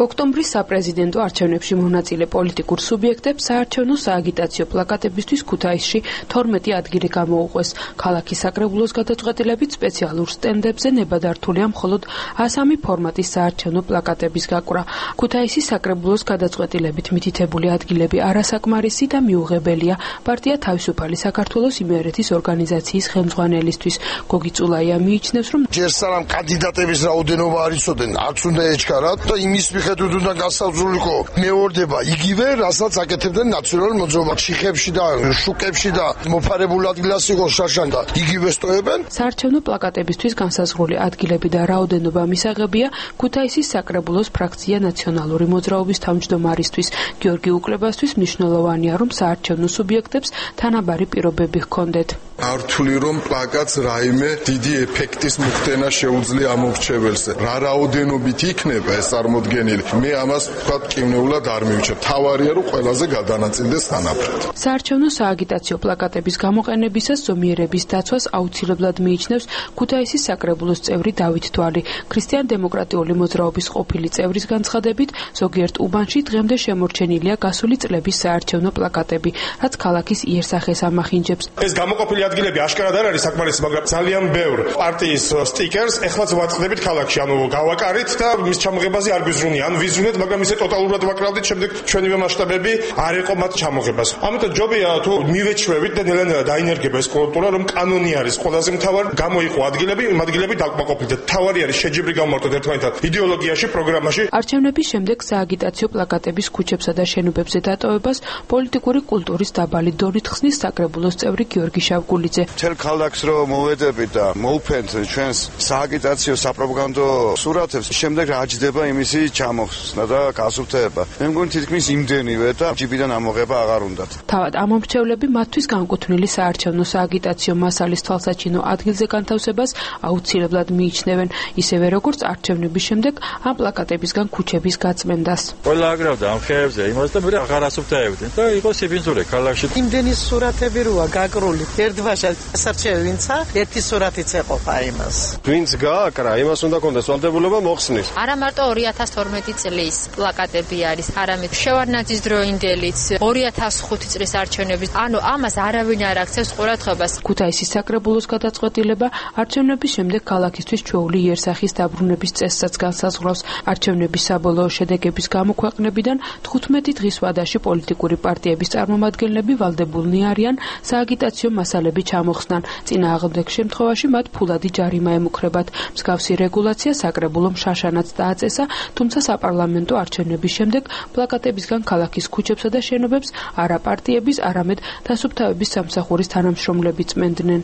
ოქტომბრის საპრეზიდენტო არჩევნებში მონაწილე პოლიტიკურ სუბიექტებს საარჩევნო სააგიტაციო პლაკატებისთვის ქუთაისში თორმეტი ადგილი გამოუყვეს. ქალაქის საკრებულოს გადაწყვეტილებით სპეციალურ სტენდებზე ნებადართულია მხოლოდ ასამი ფორმატის საარჩევნო პლაკატების გაკვრა. ქუთაისის საკრებულოს გადაწყვეტილებით მითითებული ადგილები არასაკმარისი და მიუღებელია პარტია თავისუფალი საქართველოს იმერეთის ორგანიზაციის ხელმძღვანელისთვის. გოგი წულაია მიიჩნევს, რომ ჯერ სანამ კანდიდატების რაოდენობა არ იცოდნენ, არც უნდა ეჩქარათ და იმის მიხედვითუნდა გასაზრულიყო მეორდება იგივე, რასაც აკეთებდნენ ნაციონალურ მოძრაობას შიხებში და შუკებში და მოფარებულ ადგილას იყო შაშან და იგივე სტოებენ. საარჩევნო პლაკატებისთვის განსაზღვრული ადგილები და რაოდენობა მისაღებია ქუთაისის საკრებულოს ფრაქცია ნაციონალური მოძრაობის თავმჯდომარისთვის გიორგი უკლებასთვის მნიშვნელოვანია, რომ საარჩევნო სუბიექტებს თანაბარი პირობები ჰქონდეთ. არ ვთვლი, რომ პლაკატს რაიმე დიდი ეფექტის მოხდენა შეუძლია ამორჩეველს. რა რაოდენობით იქნება ეს წარმოდგენილი? მე ამას ვთქვათ კინეულად არ მივიჩნევ. თავარია, რომ ყველაზე გადანაწილდეს თანაბრად. საარჩევნო სააგიტაციო პლაკატების გამოყენებისას ზომიერების დაცვას აუცილებლად მიიჩნევს ქუთაისის საკრებულოს წევრი დავით თვალი. ქრისტიან-დემოკრატიული მოძრაობის ყოფილი წევრის განცხადებით, ზოგიერთ უბანში დღემდე შემორჩენილია გასული წლების საარჩევნო პლაკატები, რაც ქალაქის იერსახეს ამახინჯებს. ეს გამოყოფილი ადგილები აშკარად არ არის საკმარისი, მაგრამ ძალიან ბევრ პარტიის სტიკერს ეხლაც ვაწყდებით ქალაქში, ანუ გავაკარით და მის ჩამოღებაზე არ გვიზრუნია. ანუ ვიზრუნეთ, მაგრამ ისე ტოტალურად ვაკრავდით, შემდეგ ჩვენივე მასშტაბები არ იყო მათ ჩამოღებას. ამიტომ ჯობია თუ მივეჩვევით და ნელ-ნელა დაინერგება ეს კულტურა, რომ კანონი არის ყველაზე მთავარი, გამოიყო ადგილები, იმ ადგილები დაკმაყოფილდეთ. თავარი არის შეჯიბრი გამოვარტოთ ერთმანეთთან იდეოლოგიაში, პროგრამაში. არჩევნების შემდეგ სააგიტაციო პლაკატების ქუჩებსა და შენობებზე დატოვებას პოლიტიკური კულტურის დაბალი დონით ხსნის საკრებულოს წევრი გიორგი შავგულიძე. მთელ ქალაქს რომ მოვედებით და მოვფენთ ჩვენს სააგიტაციო საპროპაგანდო სურათებს, შემდეგ რა ჯდება იმისი ჩამოხსნა და გასუფთავება. მე მგონი თითქმის იმდენივე და ჯიბიდან ამოღება აღარ უნდათ. თავად ამომრჩევლები მათთვის განკუთვნილი საარჩევნო სააგიტაციო მასალის თვალსაჩინო ადგილზე განთავსებას აუცილებლად მიიჩნევენ, ისევე როგორც არჩევნების შემდეგ ამ პლაკატებისგან ქუჩების გაწმენდას. ყველა აგრავდა ამ ხეებზე იმას და მე აღარ ასუფთავებდნენ და იყო სიბინძურე ქალაქში. იმდენი სურათები როა გაკრული ერთბაშად სასარჩევინცა ერთი სურათიც ეყოფა იმას. ვინც გააკრა, იმას უნდა კონდეს ვალდებულება მოხსნის. არა მარტო ორი ათას თორმეტი წლის პლაკატები არის, არამედ შევარდნაძის დროინდელიც ორი ათას ხუთი წლის არჩევნების, ანუ ამას არავინ არ აქცევს ყურადღებას. ქუთაისის საკრებულოს გადაწყვეტილება არჩევნების შემდეგ ქალაქისთვის ჩვეული იერსახის დაბრუნების წესსაც განსაზღვრავს. არჩევნების საბოლოო შედეგების გამოქვეყნებიდან თხუთმეტი დღის ვადაში პოლიტიკური პარტიების წარმომადგენლები ვალდებულნი არიან სააგიტაციო მასალები ჩამოხსნან. წინააღმდეგ შემთხვევაში მათ ფულადი ჯარიმა ემუქრებათ. მსგავსი რეგულაცია საკრებულომ შაშანაც დააწესა, თუმცა საპარლამენტო არჩევნების შემდეგ პლაკატებისგან ქალაქის ქუჩებსა და შენობებს არა პარტიების, არამედ დასუფთავების სამსახურის თანამშრომლები წმენდნენ.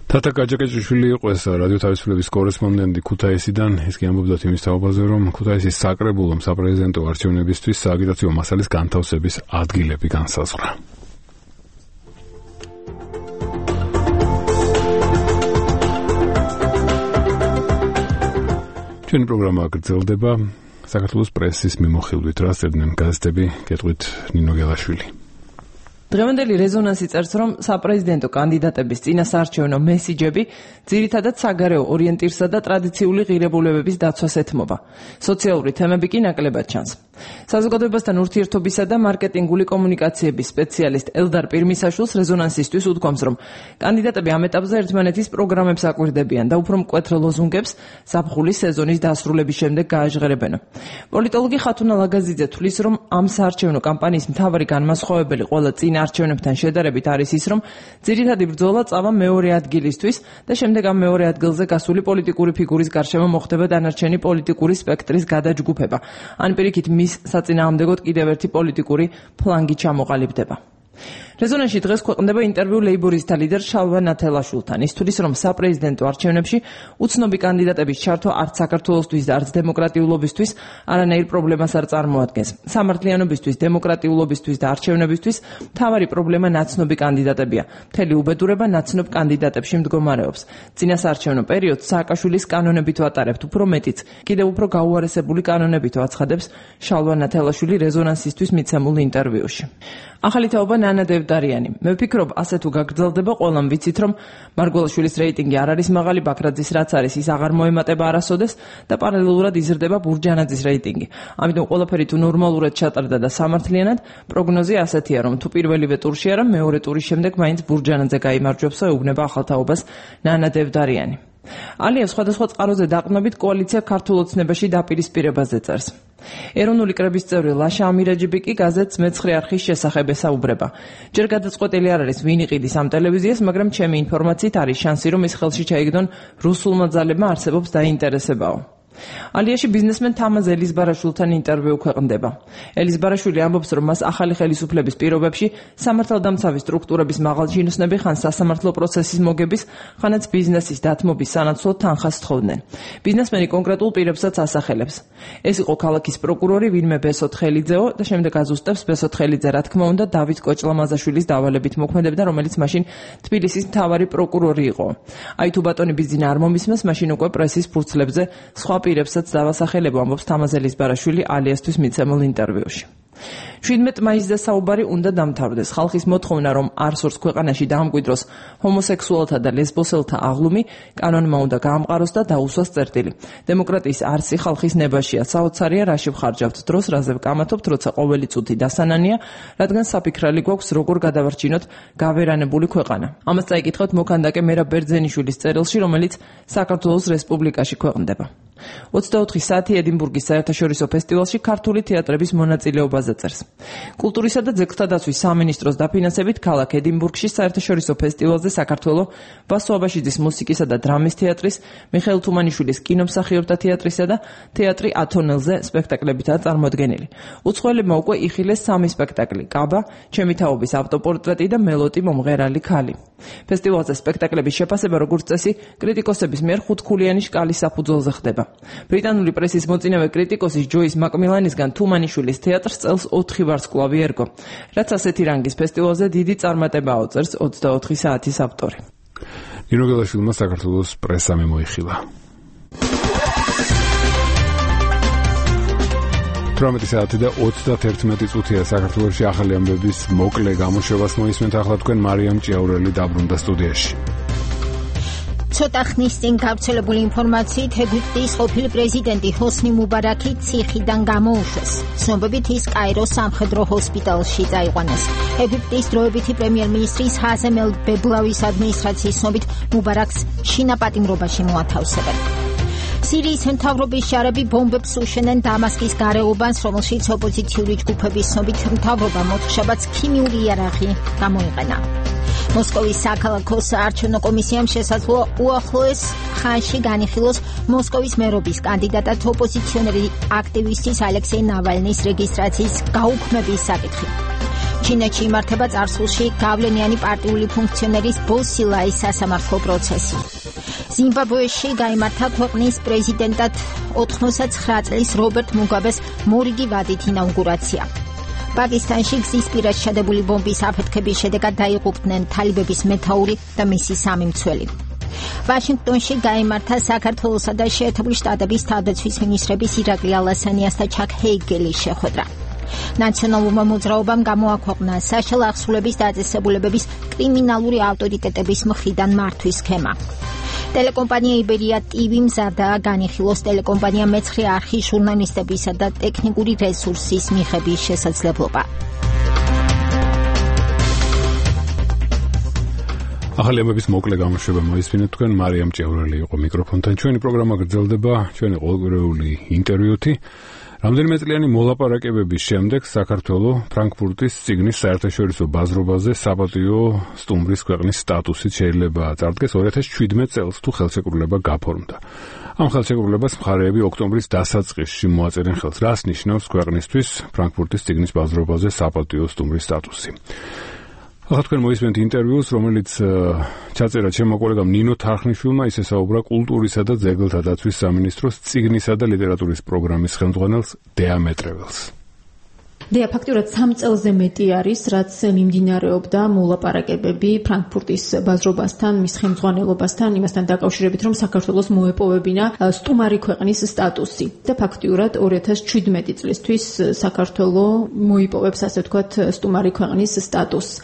თათა გაჯაკეჭიშვილი იყო ეს რადიო თავისუფლების კორესპონდენტი ქუთაისიდან. ის კი ამბობდა იმის თაობაზე, რომ ქუთაისის საკრებულომ საპრეზიდენტო არჩევნებისთვის სააგიტაციო მასალის განთავსების ადგილები განსაზღვრა. ჩვენი პროგრამა გრძელდება საქართველოს პრესის მიმოხილვით, რაც წერდნენ გაზეთები, კეთვით ნინო გელაშვილი. დღევანდელი რეზონანსი წერს, რომ საპრეზიდენტო კანდიდატების წინასაარჩევნო მესიჯები ძირითადად საგარეო ორიენტირსა და ტრადიციული ღირებულებების დაცვას ეთმობა. სოციალური თემები კი ნაკლებად ჩანს. საზოგადოებასთან ურთიერთობისა და მარკეტინგული კომუნიკაციების სპეციალისტ ელდარ პირმისაშვილს რეზონანსისთვის უთქვამს, რომ კანდიდატები ამ ეტაპზე ერთმანეთის პროგრამებს აკვირდებიან და უფრო მკვეთრ ლოზუნგებს ზაფხულის სეზონის დასრულების შემდეგ გააჟღერებენ. პოლიტოლოგი ხათუნა ლაგაზიძე თვლის, რომ ამ საარჩევნო კამპანიის მთავარი განმასხვავებელი ყველა წინა არჩევნებთან შედარებით არის ის, რომ ძირითადი ბრძოლა წავა მეორე ადგილისთვის და შემდეგ ამ მეორე ადგილზე გასული პოლიტიკური ფიგურის გარშემო მოხდება დანარჩენი პოლიტიკური სპექტრის გადაჯგუფება. ან პირიქით მის საწინააღმდეგოდ კიდევ ერთი პოლიტიკური ფლანგი ჩამოყალიბდება. რეზონანსში დღეს ქვეყნდება ინტერვიუ ლეიბორისტთა ლიდერ შალვა ნათელაშვილთან. ის თვლის, რომ საპრეზიდენტო არჩევნებში უცნობი კანდიდატების ჩართვა არც საქართველოსთვის და არც დემოკრატიულობისთვის არანაირ პრობლემას არ წარმოადგენს. სამართლიანობისთვის, დემოკრატიულობისთვის და არჩევნებისთვის მთავარი პრობლემა ნაცნობი კანდიდატებია. მთელი უბედურება ნაცნობ კანდიდატებში მდგომარეობს. წინასაარჩევნო პერიოდს სააკაშვილის კანონებით ვატარებთ, უფრო მეტიც, კიდევ უფრო გაუარესებული კანონებით ვაცხადებს შალვა ნათელაშვილი რეზონანსისთვის მიცემულ ინტერვიუში. ახალი თაობა ნანა დევდარიანი. მე ვფიქრობ, ასე თუ გაგრძელდება, ყველამ ვიცით, რომ მარგველაშვილის რეიტინგი არ არის მაღალი, ბაქრაძის რაც არის, ის აღარ მოემატება არასოდეს და პარალელურად იზრდება ბურჯანაძის რეიტინგი. ამიტომ ყველაფერი თუ ნორმალურად ჩატარდა და სამართლიანად, პროგნოზი ასეთია, რომ თუ პირველივე ტურში არა, მეორე ტურის შემდეგ მაინც ბურჯანაძე გაიმარჯვებს და ეუბნება ახალ თაობას ნანა დევდარიანი. ალიევ სხვადასხვა წყაროზე დაყნობით კოალიცია ქართულ ოცნებაში დაპირისპირებაზე წერს. ეროვნული კრების წევრი ლაშა ამირაჯიბი კი გაზეთს მეცხრე არხის შესახებ ესაუბრება. ჯერ გადაწყვეტილი არ არის ვინ იყიდის ამ ტელევიზიას, მაგრამ ჩემი ინფორმაციით არის შანსი, რომ ის ხელში ჩაიგდონ რუსულმა ძალებმა არსებობს დაინტერესებაო. ალიაში ბიზნესმენ თამაზ ელიზბარაშვილთან ინტერვიუ ქვეყნდება. ელიზბარაშვილი ამბობს, რომ მას ახალი ხელისუფლების პირობებში სამართალდამცავი სტრუქტურების მაღალჩინოსნები ხან სასამართლო პროცესის მოგების, ხანაც ბიზნესის დათმობის სანაცვლოდ თანხას თხოვდნენ. ბიზნესმენი კონკრეტულ პირებსაც ასახელებს. ეს იყო ქალაქის პროკურორი ვინმე ბესოთხელიძეო და შემდეგ აზუსტებს ბესოთხელიძე რა თქმა უნდა დავით კოჭლამაზაშვილის დავალებით მოქმედებდა, რომელიც მაშინ თბილისის მთავარი პროკურორი იყო. აი თუ ბატონი ბიზინა არ მომისმენს, მაშინ უკვე პრესის ფურცლებზე სხვა პირებსაც დავასახელებო, ამბობს თამაზ ელიზბარაშვილი ალიასთვის მიცემულ ინტერვიუში. შვიდმეტ მაისზე საუბარი უნდა დამთავრდეს. ხალხის მოთხოვნა, რომ არსორს ქვეყანაში დაამკვიდროს ჰომოსექსუალთა და ლესბოსელთა აღლუმი, კანონმა უნდა გაამყაროს და დაუსვას წერტილი. დემოკრატიის არსი ხალხის ნებაშია, საოცარია, რაში ვხარჯავთ დროს, რაზე ვკამათობთ, როცა ყოველი წუთი დასანანია, რადგან საფიქრალი გვაქვს, როგორ გადავარჩინოთ გავერანებული ქვეყანა. ამას წაიკითხოთ მოქანდაკე მერაბ ბერძენიშვილის წერილში, რომელიც საქართველოს რესპუბლიკაში ქვეყნდება. ოცდაოთხი საათი ედინბურგის საერთაშორისო ფესტივალში ქართული თეატრების მონაწილეობაზე წერს. კულტურისა და ძეგლთა დაცვის სამინისტროს დაფინანსებით ქალაქ ედინბურგში საერთაშორისო ფესტივალზე საქართველოს ვასო აბაშიძის მუსიკისა და დრამის თეატრის, მიხეილ თუმანიშვილის კინომსახიობთა თეატრისა და თეატრი ათონელზე სპექტაკლებითაა წარმოდგენილი. უცხოელებმა უკვე იხილეს სამი სპექტაკლი: კაბა, ჩემი თაობის ავტოპორტრეტი და მელოტი მომღერალი ქალი. ფესტივალზე სპექტაკლების შეფასება, როგორც წესი, კრიტიკოსების მიერ ხუთქულიანი შკალის საფუძველზე ხდება. ბრიტანული პრესის მოწინავე კრიტიკოსის ჯოის მაკმილანისგან თუმანიშვილის თეატრს წელს ოთხი ვარსკვლავი ერგო, რაც ასეთი რანგის ფესტივალზე დიდი წარმატებაა, წერს ოცდაოთხი საათის ავტორი. ნინო გელაშვილმა საქართველოს პრესა მიმოიხილა. თვრამეტი საათი და ოცდაერთმეტი წუთია საქართველოში ახალი ამბების მოკლე გამოშვებას მოისმენთ. ახლა თქვენ მარიამ ჭიაურელი დაბრუნდა სტუდიაში. ცოტა ხნის წინ გავრცელებული ინფორმაციით ეგვიპტის ყოფილი პრეზიდენტი ჰოსნი მუბარაკი ციხიდან გამოუშვეს. ცნობებით ის კაიროს სამხედრო ჰოსპიტალში წაიყვანეს. ეგვიპტის დროებითი პრემიერ-მინისტრის ჰაზემ ელ-ბებლავის ადმინისტრაციის ცნობით მუბარაკს შინაპატიმრობაში მოათავსებენ. სირიის მთავრობის შარები ბომბებს უშენენ დამასკის გარეუბანს, რომელშიც ოპოზიციური ჯგუფების ცნობით მთავრობამ ოთხშაბათს ქიმიური იარაღი გამოიყენა. მოსკოვის საქალაქო საარჩევნო კომისიამ შესაძლოა უახლოეს ხანში განიხილოს მოსკოვის მერობის კანდიდატად ოპოზიციონერი აქტივისტის ალექსეი ნავალნის რეგისტრაციის გაუქმების საკითხი. ჩინეთში იმართება წარსულში გავლენიანი პარტიული ფუნქციონერის ბოსილაის სასამართლო პროცესი. ზიმბაბვეში გაიმართა ქვეყნის პრეზიდენტად ოთხმოცდაცხრა წლის რობერტ მუგაბეს მორიგი ვადით ინაუგურაცია. პაკისტანში გზის პირას შადებული ბომბის აფეთქების შედეგად დაიღუპნენ თალიბების მეთაური და მისი სამი მცველი. ვაშინგტონში გაიმართა საქართველოსა და შეერთებული შტატების თავდაცვის მინისტრების ირაკლი ალასანიას და ჩაკ ჰეიგელის შეხვედრა. ნაციონალურმა მოძრაობამ გამოაქვეყნა საშუალო აღსრულების დაწესებულებების კრიმინალური ავტორიტეტების მხრიდან მართვის სქემა. ტელეკომპანია იბერია ტივი მზადაა განიხილოს ტელეკომპანია მეცხრე არხის ჟურნალისტებისა და ტექნიკური რესურსის მიღების შესაძლებლობა. ახალი ამბების მოკლე გამოშვება მოისმინეთ თქვენ. მარიამ ჭიაურელი იყო მიკროფონთან. ჩვენი პროგრამა გრძელდება ჩვენი ყოველკვირეული ინტერვიუთი. რამდენიმე წლიანი მოლაპარაკებების შემდეგ საქართველოს ფრანკფურტის ციგნის საერთაშორისო ბაზრობაზე საპატიო სტუმრის ქვეყნის სტატუსით შეიძლება წარდგეს ორი ათას შვიდმეტ წელს, თუ ხელშეკრულება გაფორმდა. ამ ხელშეკრულებას მხარეები ოქტომბრის დასაწყისში მოაწერენ ხელს. რას ნიშნავს ქვეყნისთვის ფრანკფურტის ციგნის ბაზრობაზე საპატიო სტუმრის სტატუსი? ახლა თქვენ მოისმენთ ინტერვიუს, რომელიც ჩაწერა ჩემმა კოლეგამ ნინო თარხნიშვილმა, ის ესაუბრა კულტურისა და ძეგლთა დაცვის სამინისტროს ციგნისა და ლიტერატურის პროგრამის ხელმძღვანელს დეამეტრეველს. დეა ფაქტურად სამ წელზე მეტი არის, რაც მიმდინარეობდა მოლაპარაკებები ფრანკფურტის ბაზრობასთან, მის ხელმძღვანელობასთან, იმასთან დაკავშირებით, რომ საქართველოს მოეპოვებინა სტუმარი ქვეყნის სტატუსი. და ფაქტურად ორი ათას შვიდმეტი წლისთვის საქართველოს მოიპოვებს, ასე ვთქვათ, სტუმარი ქვეყნის სტატუსს.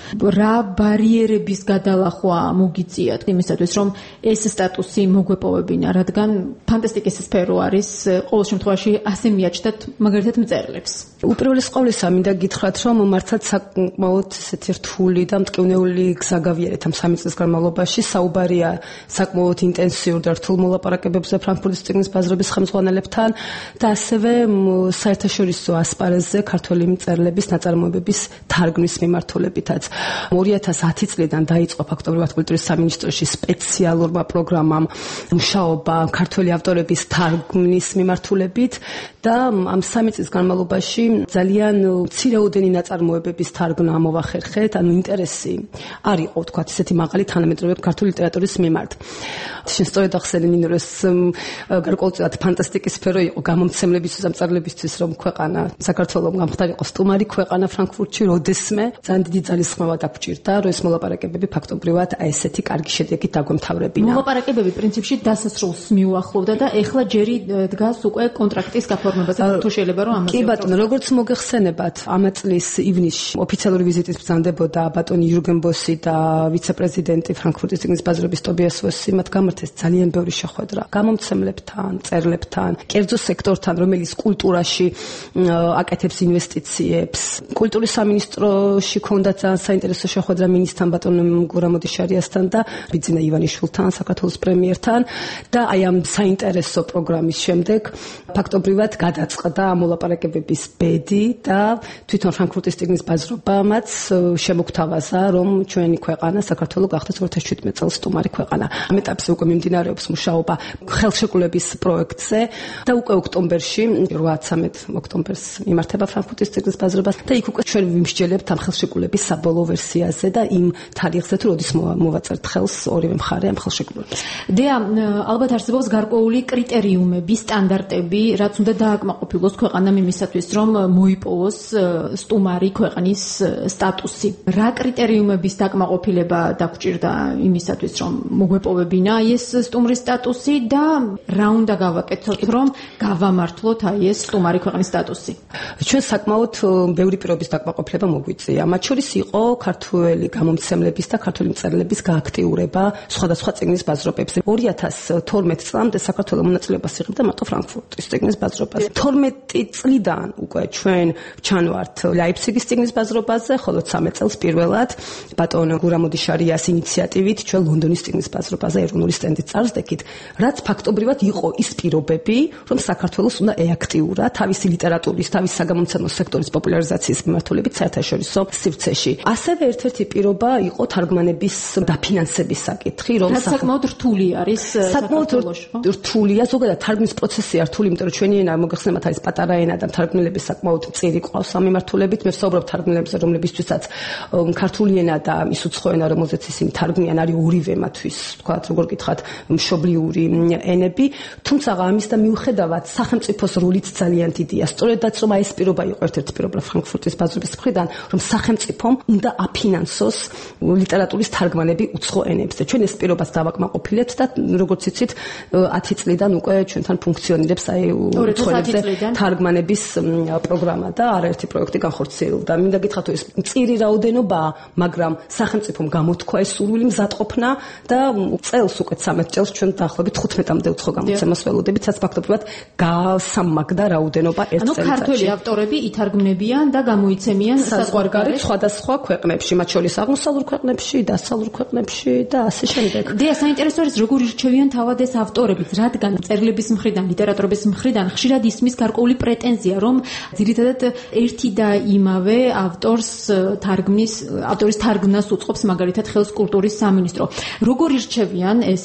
რა ბარიერების გადალახვა მოგიწიათ იმისათვის, რომ ეს სტატუსი მოგვეპოვებინა, რადგან ფანტასტიკის სფერო არის, ყოველ შემთხვევაში ასე მიაჩნდათ მაგალითად მწერლებს. უპირველეს ყოვლისა მინდა გითხრათ, რომ მართლაც საკმაოდ ესეთი რთული და მტკივნეული გზა გავიარეთ ამ სამი წლის განმავლობაში. საუბარია საკმაოდ ინტენსიურ და რთულ მოლაპარაკებებზე ფრანკფურტის წიგნის ბაზრობის ხელმძღვანელებთან და ასევე საერთაშორისო ასპარეზზე ქართველი მწერლების ნაწარმოებების თარგმნის მიმართულებითაც. ორი ათას ათი წლიდან დაიწყო ფაქტობრივად კულტურის სამინისტროში სპეციალურმა პროგრამამ მუშაობა ქართველი ავტორების თარგმნის მიმართულებით და ამ სამი წლის განმავლობაში ძალიან მცირეოდენი ნაწარმოებების თარგმნა ამოვახერხეთ, ანუ ინტერესი არ იყო, თქვათ, ესეთი მაღალი თანამედროვე ქართული ლიტერატურის მიმართ. შენ სწორედ ახსენე, რომ ეს გარკვეულწილად ფანტასტიკის სფერო იყო გამომცემლებისთვის, ამწარლებისთვის, რომ ქვეყანა საქართველოს გამხდარიყო სტუმარი ქვეყანა ფრანკფურტში, როდესმე ძალიან დიდი ძალისხმევა დაგჭირდა, რომ ეს მოლაპარაკებები ფაქტობრივად აი ესეთი კარგი შედეგით დაგვემთავრებინა. მოლაპარაკებები პრინციპში დასასრულს მიუახლოვდა და ეხლა ჯერი დგას უკვე კონტრაქტის გაფორმებაზე, თუ შეიძლება რომ ამაზე. კი ბატონო, როგორც მოგეხსენებათ, ამ წლის ივნისში ოფიციალური ვიზიტით ბრძანდებოდა ბატონი იურგენ ბოსი და ვიცე-პრეზიდენტი ფრანკფურტის წიგნის ბაზრობის ტობიას ვოსი, მათ გამართეს ძალიან ბევრი შეხვედრა გამომცემლებთან, მწერლებთან, კერძო სექტორთან, რომელიც კულტურაში აკეთებს ინვესტიციებს. კულტურის სამინისტროში ქონდა ძალიან საინტერესო შეხვედრა მინისტრთან ბატონ გურამოდიშარიასთან და ბიძინა ივანიშვილთან, საქართველოს პრემიერთან და აი ამ საინტერესო პროგრამის შემდეგ ფაქტობრივად გადაწყდა მოლაპარაკებების ბედი და თვითონ ფრანკფურტის წიგნის ბაზრობამაც შემოგთავაზა, რომ ჩვენი ქვეყანა საქართველო გახდეს ორი ათას შვიდმეტ წელს სტუმარი ქვეყანა. ამ ეტაპზე უკვე მიმდინარეობს მუშაობა ხელშეკრულების პროექტზე და უკვე ოქტომბერში, რვაათი ოქტომბერს იმართება ფრანკფურტის წიგნის ბაზრობა და იქ უკვე ჩვენ ვიმსჯელებთ ამ ხელშეკრულების საბოლოო ვერსიაზე და იმ თარიღზე, თუ როდის მოვაწერთ ხელს ორივე მხარე ამ ხელშეკრულებას. დეა, ალბათ არსებობს გარკვეული კრიტერიუმები, სტანდარტები, რაც უნდა დააკმაყოფილოს ქვეყანამ იმისათვის, რომ მოიპოვოს სტუმარი ქვეყნის სტატუსი. რა კრიტერიუმების დაკმაყოფილება დაგჭირდა იმისათვის, რომ მოგვეპოვებინა აი ეს სტუმრის სტატუსი და რა უნდა გავაკეთოთ, რომ გავამართლოთ აი ეს სტუმარი ქვეყნის სტატუსი? ჩვენ საკმაოდ ბევრი პირობის დაკმაყოფილება მოგვიწია. მათ შორის იყო ქართველი გამომცემლების და ქართული მწერლების გააქტიურება სხვადასხვა წიგნის ბაზრობებზე. ორი ათას თორმეტ წლამდე საქართველოს მონაწილეობას იღებდა მარტო ფრანკფურტის წიგნის ბაზრობაზე. თორმეტი წლიდან უკვე ჩვენ ჩანვართ ლაიფციგის წიგნის ბაზრობაზე, ხოლო ცამეტ წელს პირველად ბატონ გურამოდიშარიას ინიციატივით ჩვენ ლონდონის წიგნის ბაზრობაზე ეროვნული სტენდით წარსდექით, რაც ფაქტობრივად იყო ის პირობები, რომ საქართველოს უნდა ეაქტიურა თავისი ლიტერატურის, თავის საგამომცემლო სექტორის პოპულარიზაციის მიმართულებით საერთაშორისო სივრცეში. ასევე ერთ-ერთი პირობა იყო თარგმანების დაფინანსების საკითხი, რომ საკმაოდ რთული არის საკმაოდ რთულია, ზოგადად თარგმნის პროცესია რთული, იმიტომ რომ ჩვენი ენა მოგეხსენებათ არის პატარა ენა და თარგმნელები საკმაოდ მწირი ყავს ამ მიმართულებით. მე ვსაუბრობ თარგმნელებზე, რომლებისთვისაც ქართული ენა და ის უცხო ენა, რომელზეც ისინი თარგმნიან, არის ორივე მათთვის, თქვათ, როგორ გითხრათ, მშობლიური ენები. თუმცა ამის და მიუხედავად სახელმწიფოს როლიც ძალიან დიდია. სწორედაც რომ აი ეს პირობა იყო ერთ-ერთი პირობა ფრანკფურტის ბაზრობის მხრიდან, რომ სახელმწიფომ უნდა აფინანსოს ლიტერატურის თარგმანები უცხო ენებზე. ჩვენ ეს პირობას დავაკმაყოფილებთ და როგორც იცით, ათი წლიდან უკვე ჩვენთან ფუნქციონირებს აი უცხოებზე თარგმანების პროგრამა და არაერთი პროექტი განხორციელდა. მინდა გითხრათ, ეს მწირი რაოდენობაა, მაგრამ სახელმწიფომ გამოთქვა ეს სურვილი მზადყოფნა და წელს უკვე ცამეტ წელს ჩვენ დაახლოებით თხუთმეტამდე უცხო გამოცემას ველოდებით, რაც ფაქტობრივად გასამაგდა რაოდენობა ერთ წელიწადში. ანუ ქართველი ავტორები ითარგმნებიან და გამოიცემიან საზღვარგარეთ სხვადასხვა ქვეყნებში, მათ შორის აღმოსავლურ ქვეყნებში, დასავლურ ქვეყნებში და ასე შემდეგ. დია, საინტერესო არის როგორ ირჩევიან თავად ეს ავტორები, რადგან მწერლების მხრიდან, ლიტერატურების მხრიდან ხშირად ისმის გარკვეული პრეტენზია, რომ ძირითადად ერთი და იმავე ავტორს თარგმნის, ავტორის თარგმნას უწყობს მაგალითად ხელს კულტურის სამინისტრო. როგორ ირჩევიან ეს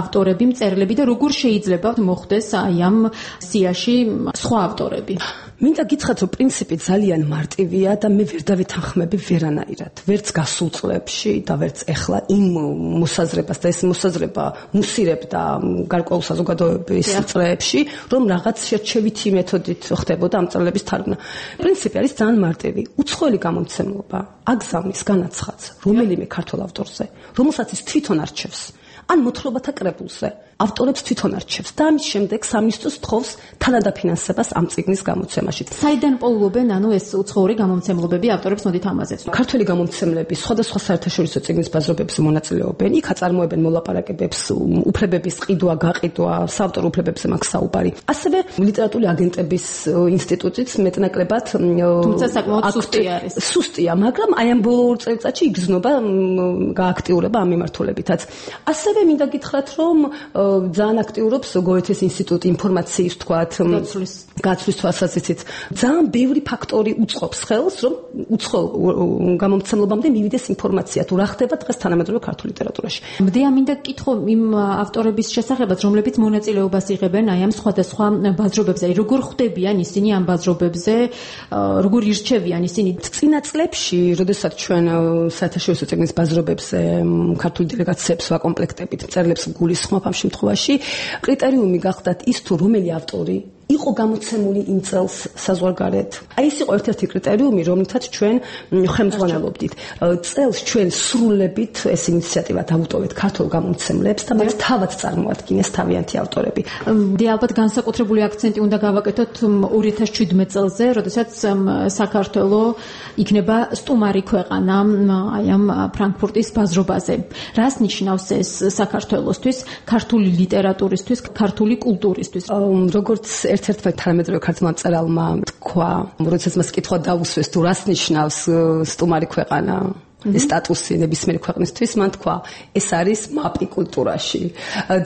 ავტორები, მწერლები და როგორ შეიძლება მოხდეს აი ამ სიაში სხვა ავტორები? მინდა გითხრათ, რომ პრინციპი ძალიან მარტივია და მე ვერ დავეთანხმები ვერანაირად. ვერც გასულ წლებში და ვერც ეხლა იმ მოსაზრებას და ეს მოსაზრება მუსირებდა გარკვეულ საზოგადოების წრეებში, რომ რაღაც შერჩევითი მეთოდით ხდებოდა ამ მწერლების თარგმნა. პრინციპი არის ძალიან მარტივი. უცხოელი გამომცემლობა აგზავნის განაცხადს რომელიმე ქართულ ავტორზე, რომელსაც ის თვითონ არჩევს. ან მოთხრობათა კრებულზე. ავტორებს თვითონ არჩევს და ამის შემდეგ სამინისტროს თხოვს თანადაფინანსებას ამ წიგნის გამოცემაში. საიდან პოულობენ ანუ ეს უცხოური გამომცემლობები ავტორებს მოდით ამაზეც. ქართველი გამომცემლები სხვადასხვა საერთაშორისო წიგნის ბაზრობებზე მონაწილეობენ, იქ აწარმოებენ მოლაპარაკებებს, უფლებების ყიდვა, გაყიდვა, საავტორო უფლებებზე მაქვს საუბარი. ასევე ლიტერატურული აგენტების ინსტიტუტიც მეტნაკლებად თუმცა საკმაოდ სუსტი არის. სუსტია, მაგრამ აი ამ ბოლო ორ წელიწადში იგრძნობა გააქტიურება ამ მიმართულებითაც. ასევე მინდა გითხრათ, რომ ძალიან აქტიურობს გოეთეს ინსტიტუტი ინფორმაციის თქვათ გაცვლის თვალსაზრისით. ძალიან ბევრი ფაქტორი უწყობს ხელს, რომ უცხო გამომცემლობამდე მივიდეს ინფორმაცია თუ რა ხდება დღეს თანამედროვე ქართულ ლიტერატურაში. მდია მინდა გკითხო იმ ავტორების შესახებაც, რომლებიც მონაწილეობას იღებენ აი ამ სხვადასხვა ბაზრობებზე. როგორ ხვდებიან ისინი ამ ბაზრობებზე, როგორ ირჩევიან ისინი? წინა წლებში, როდესაც ჩვენ საერთაშორისო წიგნის ბაზრობებზე ქართული დელეგაციებს ვაკომპლექტებით მწერლებს გულისხმობ ამ შემთხვევაში, კრიტერიუმი გახდათ ის თუ რომელი ავტორი იყო გამოცემული იმ წელს საზღვარგარეთ. აი ეს იყო ერთ-ერთი კრიტერიუმი, რომლითაც ჩვენ ხელმძღვანელობდით. წელს ჩვენ სრულებით ეს ინიციატივა დავუტოვეთ ქართულ გამომცემლებს და მათ თავად წარმოადგენეს თავიანთი ავტორები. დი ალბათ განსაკუთრებული აქცენტი უნდა გავაკეთოთ ორი ათას შვიდმეტ წელზე, როდესაც საქართველო იქნება სტუმარი ქვეყანა აი ამ ფრანკფურტის ბაზრობაზე. რას ნიშნავს ეს საქართველოსთვის, ქართული ლიტერატურისთვის, ქართული კულტურისთვის? როგორც ერთ-ერთმა თანამედროვე ქართულმა მწერალმა თქვა, როდესაც მას კითხვა დაუსვეს თუ რას ნიშნავს სტუმარი ქვეყანა, ეს სტატუსი ნებისმიერი ქვეყნისთვის, მან თქვა, ეს არის მაპი კულტურაში.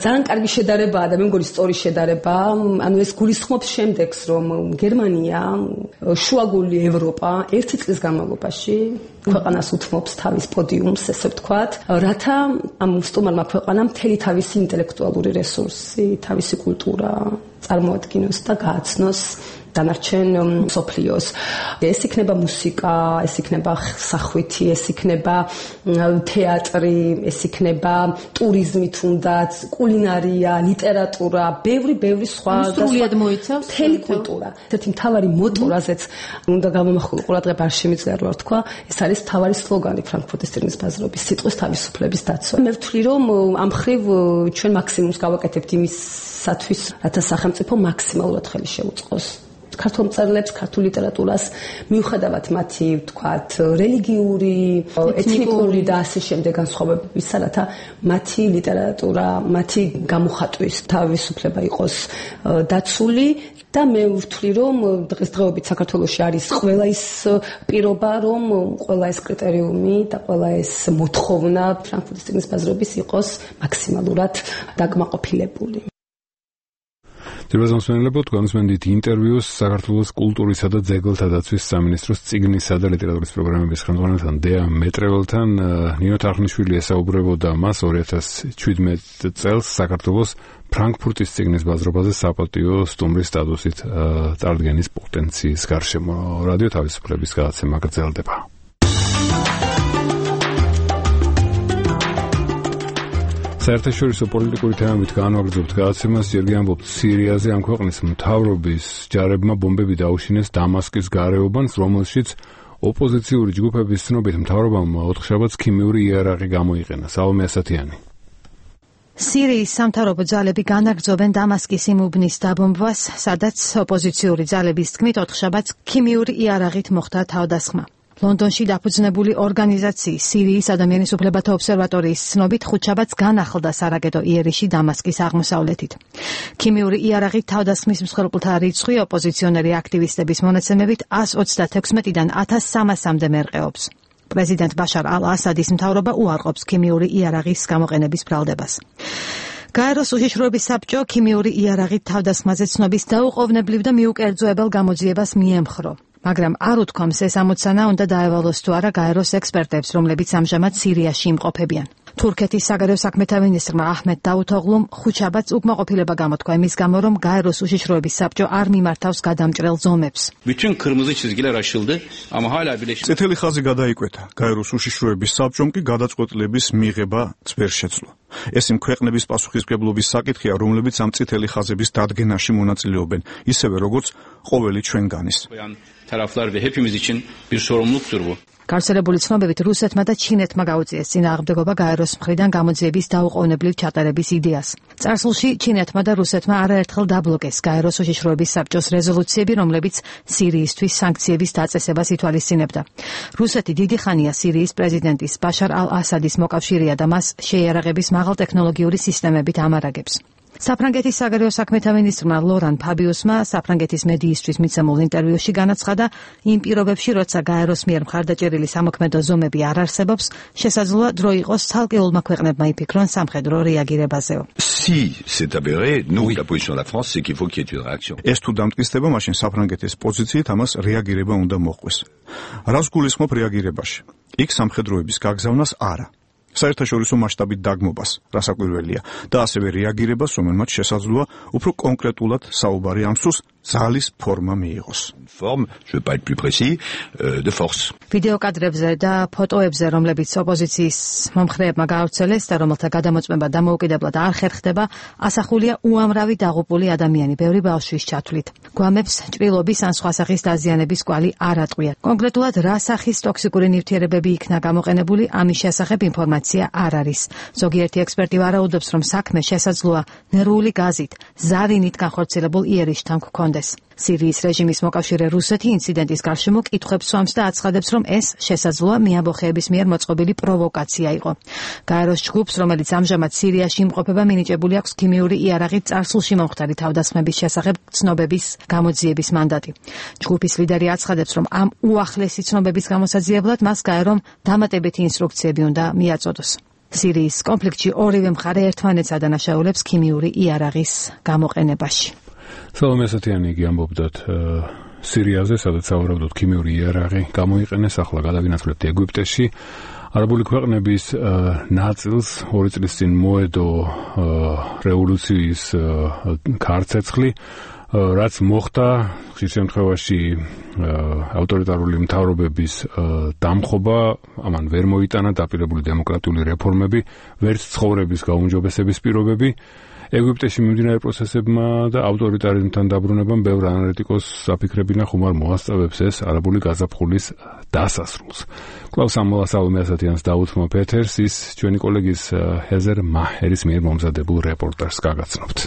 ძალიან კარგი შედარებაა და მე მგონი სწორი შედარება, ანუ ეს გულისხმობს შემდეგს, რომ გერმანია, შუაგული ევროპა ერთი წლის განმავლობაში ქვეყანას უთმობს თავის პოდიუმს, ესე ვთქვათ, რათა ამ სტუმარმა ქვეყანამ მთელი თავისი ინტელექტუალური რესურსი, თავისი კულტურა წარმოადგინოს და გააცნოს დანარჩენ მსოფლიოს. ეს იქნება მუსიკა, ეს იქნება სახვითი, ეს იქნება თეატრი, ეს იქნება ტურიზმი თუნდაც, კულინარია, ლიტერატურა, ბევრი-ბევრი სხვა და სრულიად მოიცავს მთელი კულტურა. ესეთი მთავარი მოტო, რაზეც უნდა გამომახვილო ყურადღება არ შემიძლია რა ვთქვა, ეს არის მთავარი სლოგანი ფრანკფურტის წიგნის ბაზრობის სიტყვის თავისუფლების დაცვა. მე ვთვლი, რომ ამ ხრივ ჩვენ მაქსიმუმს გავაკეთებთ იმისათვის, რათა სახელმწიფო მაქსიმალურად ხელი შეუწყოს ქართულ მწერლებს, ქართულ ლიტერატურას, მიუხედავად მათი, ვთქვათ, რელიგიური, ეთნიკური და ასე შემდეგ განსხვავებებისა, რათა მათი ლიტერატურა, მათი გამოხატვის თავისუფლება იყოს დაცული. და მე ვთვლი, რომ დღესდღეობით საქართველოში არის ყველა ის პირობა, რომ ყველა ეს კრიტერიუმი და ყველა ეს მოთხოვნა ფრანკფურტის წიგნის ბაზრობის იყოს მაქსიმალურად დაკმაყოფილებული. ძირბაზამსმენელებო, განსმენდით ინტერვიუს საქართველოს კულტურისა და ძეგლთა დაცვის სამინისტროს წიგნისა და ლიტერატურის პროგრამების ხელმძღვანელთან დეა მეტრეველთან. ნინო თარხნიშვილი ესაუბრებოდა მას ორი ათას შვიდმეტ წელს საქართველოს ფრანკფურტის წიგნის ბაზრობაზე საპატიო სტუმრის სტატუსით წარდგენის პოტენციის გარშემო. რადიო თავისუფლების გადაცემა გრძელდება. საერთაშორისო პოლიტიკური თემებით განვაგრძობთ გადაცემას, ჯერ ამბობთ სირიაზე. ამ ქვეყნის მთავრობის ჯარებმა ბომბები დაუშინეს დამასკის გარეუბანს, რომელშიც ოპოზიციური ჯგუფების ცნობით მთავრობამ ოთხშაბათს ქიმიური იარაღი გამოიყენა. სალომე ასათიანი. სირიის სამთავრობო ძალები განაგრძობენ დამასკის იმ უბნის დაბომბვას, სადაც ოპოზიციური ძალების თქმით ოთხშაბათს ქიმიური იარაღით მოხდა თავდასხმა. ლონდონში დაფუძნებული ორგანიზაციის სირიის ადამიანის უფლებათა ობსერვატორიის ცნობით ხუთშაბათს განახლდა სარაკეტო იერიში დამასკის აღმოსავლეთით. ქიმიური იარაღით თავდასხმის მსხვერპლთა რიცხვი ოპოზიციონერი აქტივისტების მონაცემებით ას ოცდათექვსმეტიდან ათას სამასამდე მერყეობს. პრეზიდენტ ბაშარ ალ-ასადის მთავრობა უარყოფს ქიმიური იარაღის გამოყენების ბრალდებას. გაეროს უშიშროების საბჭო ქიმიური იარაღით თავდასხმაზე ცნობის დაუყოვნებლივ და მიუკერძოებელ გამოძიებას მიემხრო. მაგრამ არ უთქვამს ეს ამოცანა უნდა დაევალოს თუ არა გაეროს ექსპერტებს, რომლებიც ამჟამად სირიაში იმყოფებიან. თურქეთის საგარეო საქმეთა მინისტრმა აჰმედ დაუთოღლუმ ხუთშაბათს უკმაყოფილება გამოთქვა იმის გამო, რომ გაეროს უშიშროების საბჭო არ მიმართავს გადამჭრელ ზომებს. წითელი ხაზი გადაიკვეთა. გაეროს უშიშროების საბჭომ კი გადაწყვეტილების მიღება ვერ შეძლო. ეს იმ ქვეყნების პასუხისმგებლობის საკითხია, რომლებიც ამ წითელი ხაზების დადგენაში მონაწილეობენ, ისევე როგორც ყოველი ჩვენგანის. Taraflar ve hepimiz için bir sorumluluktur bu. გავრცელებული ცნობებით რუსეთმა და ჩინეთმა გაუწიეს წინააღმდეგობა გაეროს მხრიდან გამოძიების დაუყოვნებლივ ჩატარების იდეას. წარსულში ჩინეთმა და რუსეთმა არაერთხელ დაბლოკეს გაეროს უშიშროების საბჭოს რეზოლუციები, რომლებიც სირიისთვის სანქციების დაწესებას ითვალისწინებდა. რუსეთი დიდი ხანია სირიის პრეზიდენტის ბაშარ ალ-ასადის მოკავშირეა და მას შეიარაღების მაღალტექნოლოგიური სისტემებით ამარაგებს. საფრანგეთის საგარეო საქმეთა მინისტრმა ლორან ფაბიუსმა საფრანგეთის მედიისთვის მიცემულ ინტერვიუში განაცხადა, იმ პირობებში, როცა გაეროს მიერ მხარდაჭერილი სამოქმედო ზომები არ არსებობს, შესაძლოა დრო იყოს ცალკეულმა ქვეყნებმა იფიქრონ სამხედრო რეაგირებაზეო. Si c'est avéré, nous la position de la France c'est qu'il faut qu'il y ait une réaction. ეს თუ დამტკიცდება, მაშინ საფრანგეთის პოზიციით ამას რეაგირება უნდა მოხდეს. რას გულისხმობ რეაგირებაში? იქ სამხედროების გაგზავნას არა. საერთაშორისო მასშტაბით დაგმობას, რასაკვირველია, და ასევე რეაგირებას, რომელმაც შესაძლოა უფრო კონკრეტულად საუბარი ამ სულს ძალის ფორმა მიიღოს. Forme, je vais pas être plus précis, euh, de force. ვიდეო კადრებზე და ფოტოებზე, რომლებიც ოპოზიციის მომხრეებმა გაავრცელეს და რომელთა გადამოწმება დამოუკიდებლად არ ხერხდება, ასახულია უამრავი დაღუპული ადამიანი, ბევრი ბავშვის ჩათვლით. გვამებს ჭრილობის ან სხვა სახის დაზიანების კვალი არ ატყვია. კონკრეტულად რა სახის ტოქსიკური ნივთიერებები იქნა გამოყენებული, ამის შესახებ ინფორმაცია არ არის. ზოგიერთი ექსპერტი ვარაუდობს, რომ საქმე შესაძლოა ნერვული გაზით, ზარინით განხორციელებულ იერიშთან გქონდეს. სირიის რეჟიმის მოკავშირე რუსეთი ინციდენტის გარშემო კითხვებს სვამს და აცხადებს, რომ ეს შესაძლოა მეამბოხეების მიერ მოწყობილი პროვოკაცია იყო. გაეროს ჯგუფს, რომელიც ამჟამად სირიაში იმყოფება, მინიჭებული აქვს ქიმიური იარაღით წარსულში მომხდარი თავდასხმების შესახებ ცნობების გამოძიების მანდატი. ჯგუფის ლიდერი აცხადებს, რომ ამ უახლესი ცნობების გამოსაძიებლად მას გაერომ დამატებითი ინსტრუქციები უნდა მიაწოდოს. სირიის კონფლიქტში ორივე მხარე ერთმანეთს ადანაშაულებს ქიმიური იარაღის გამოყენებაში. სალომე ასათიანი იგი ამბობდათ სირიაზე, სადაც საუბრობდოთ ქიმიური იარაღი გამოიყენეს, ახლა გადავინაცვლებთ ეგვიპტეში. არაბული ქვეყნების ნაწილს ორი წლის წინ მოედო რევოლუციის ქარცეცხლი, რაც მოხდა ხშირ შემთხვევაში ავტორიტარული მთავრობების დამხობა, ამან ვერ მოიტანა დაპირებული დემოკრატიული რეფორმები, ვერც ცხოვრების გაუმჯობესების პირობები. ეგვიპტეში მიმდინარე პროცესებმა და ავტორიტარიზმთან დაბრუნებამ ბევრ ანალიტიკოსს აფიქრებინა ხუმარ მოასწავებს ეს არაბული გაზაფხულის დასასრულს. კლავს ამოლა სალომე ასათიანს დაუთმო პეთერს, ის ჩვენი კოლეგის ჰეზერ მაჰერის მიერ მომზადებულ რეპორტაჟს გაგაცნობთ.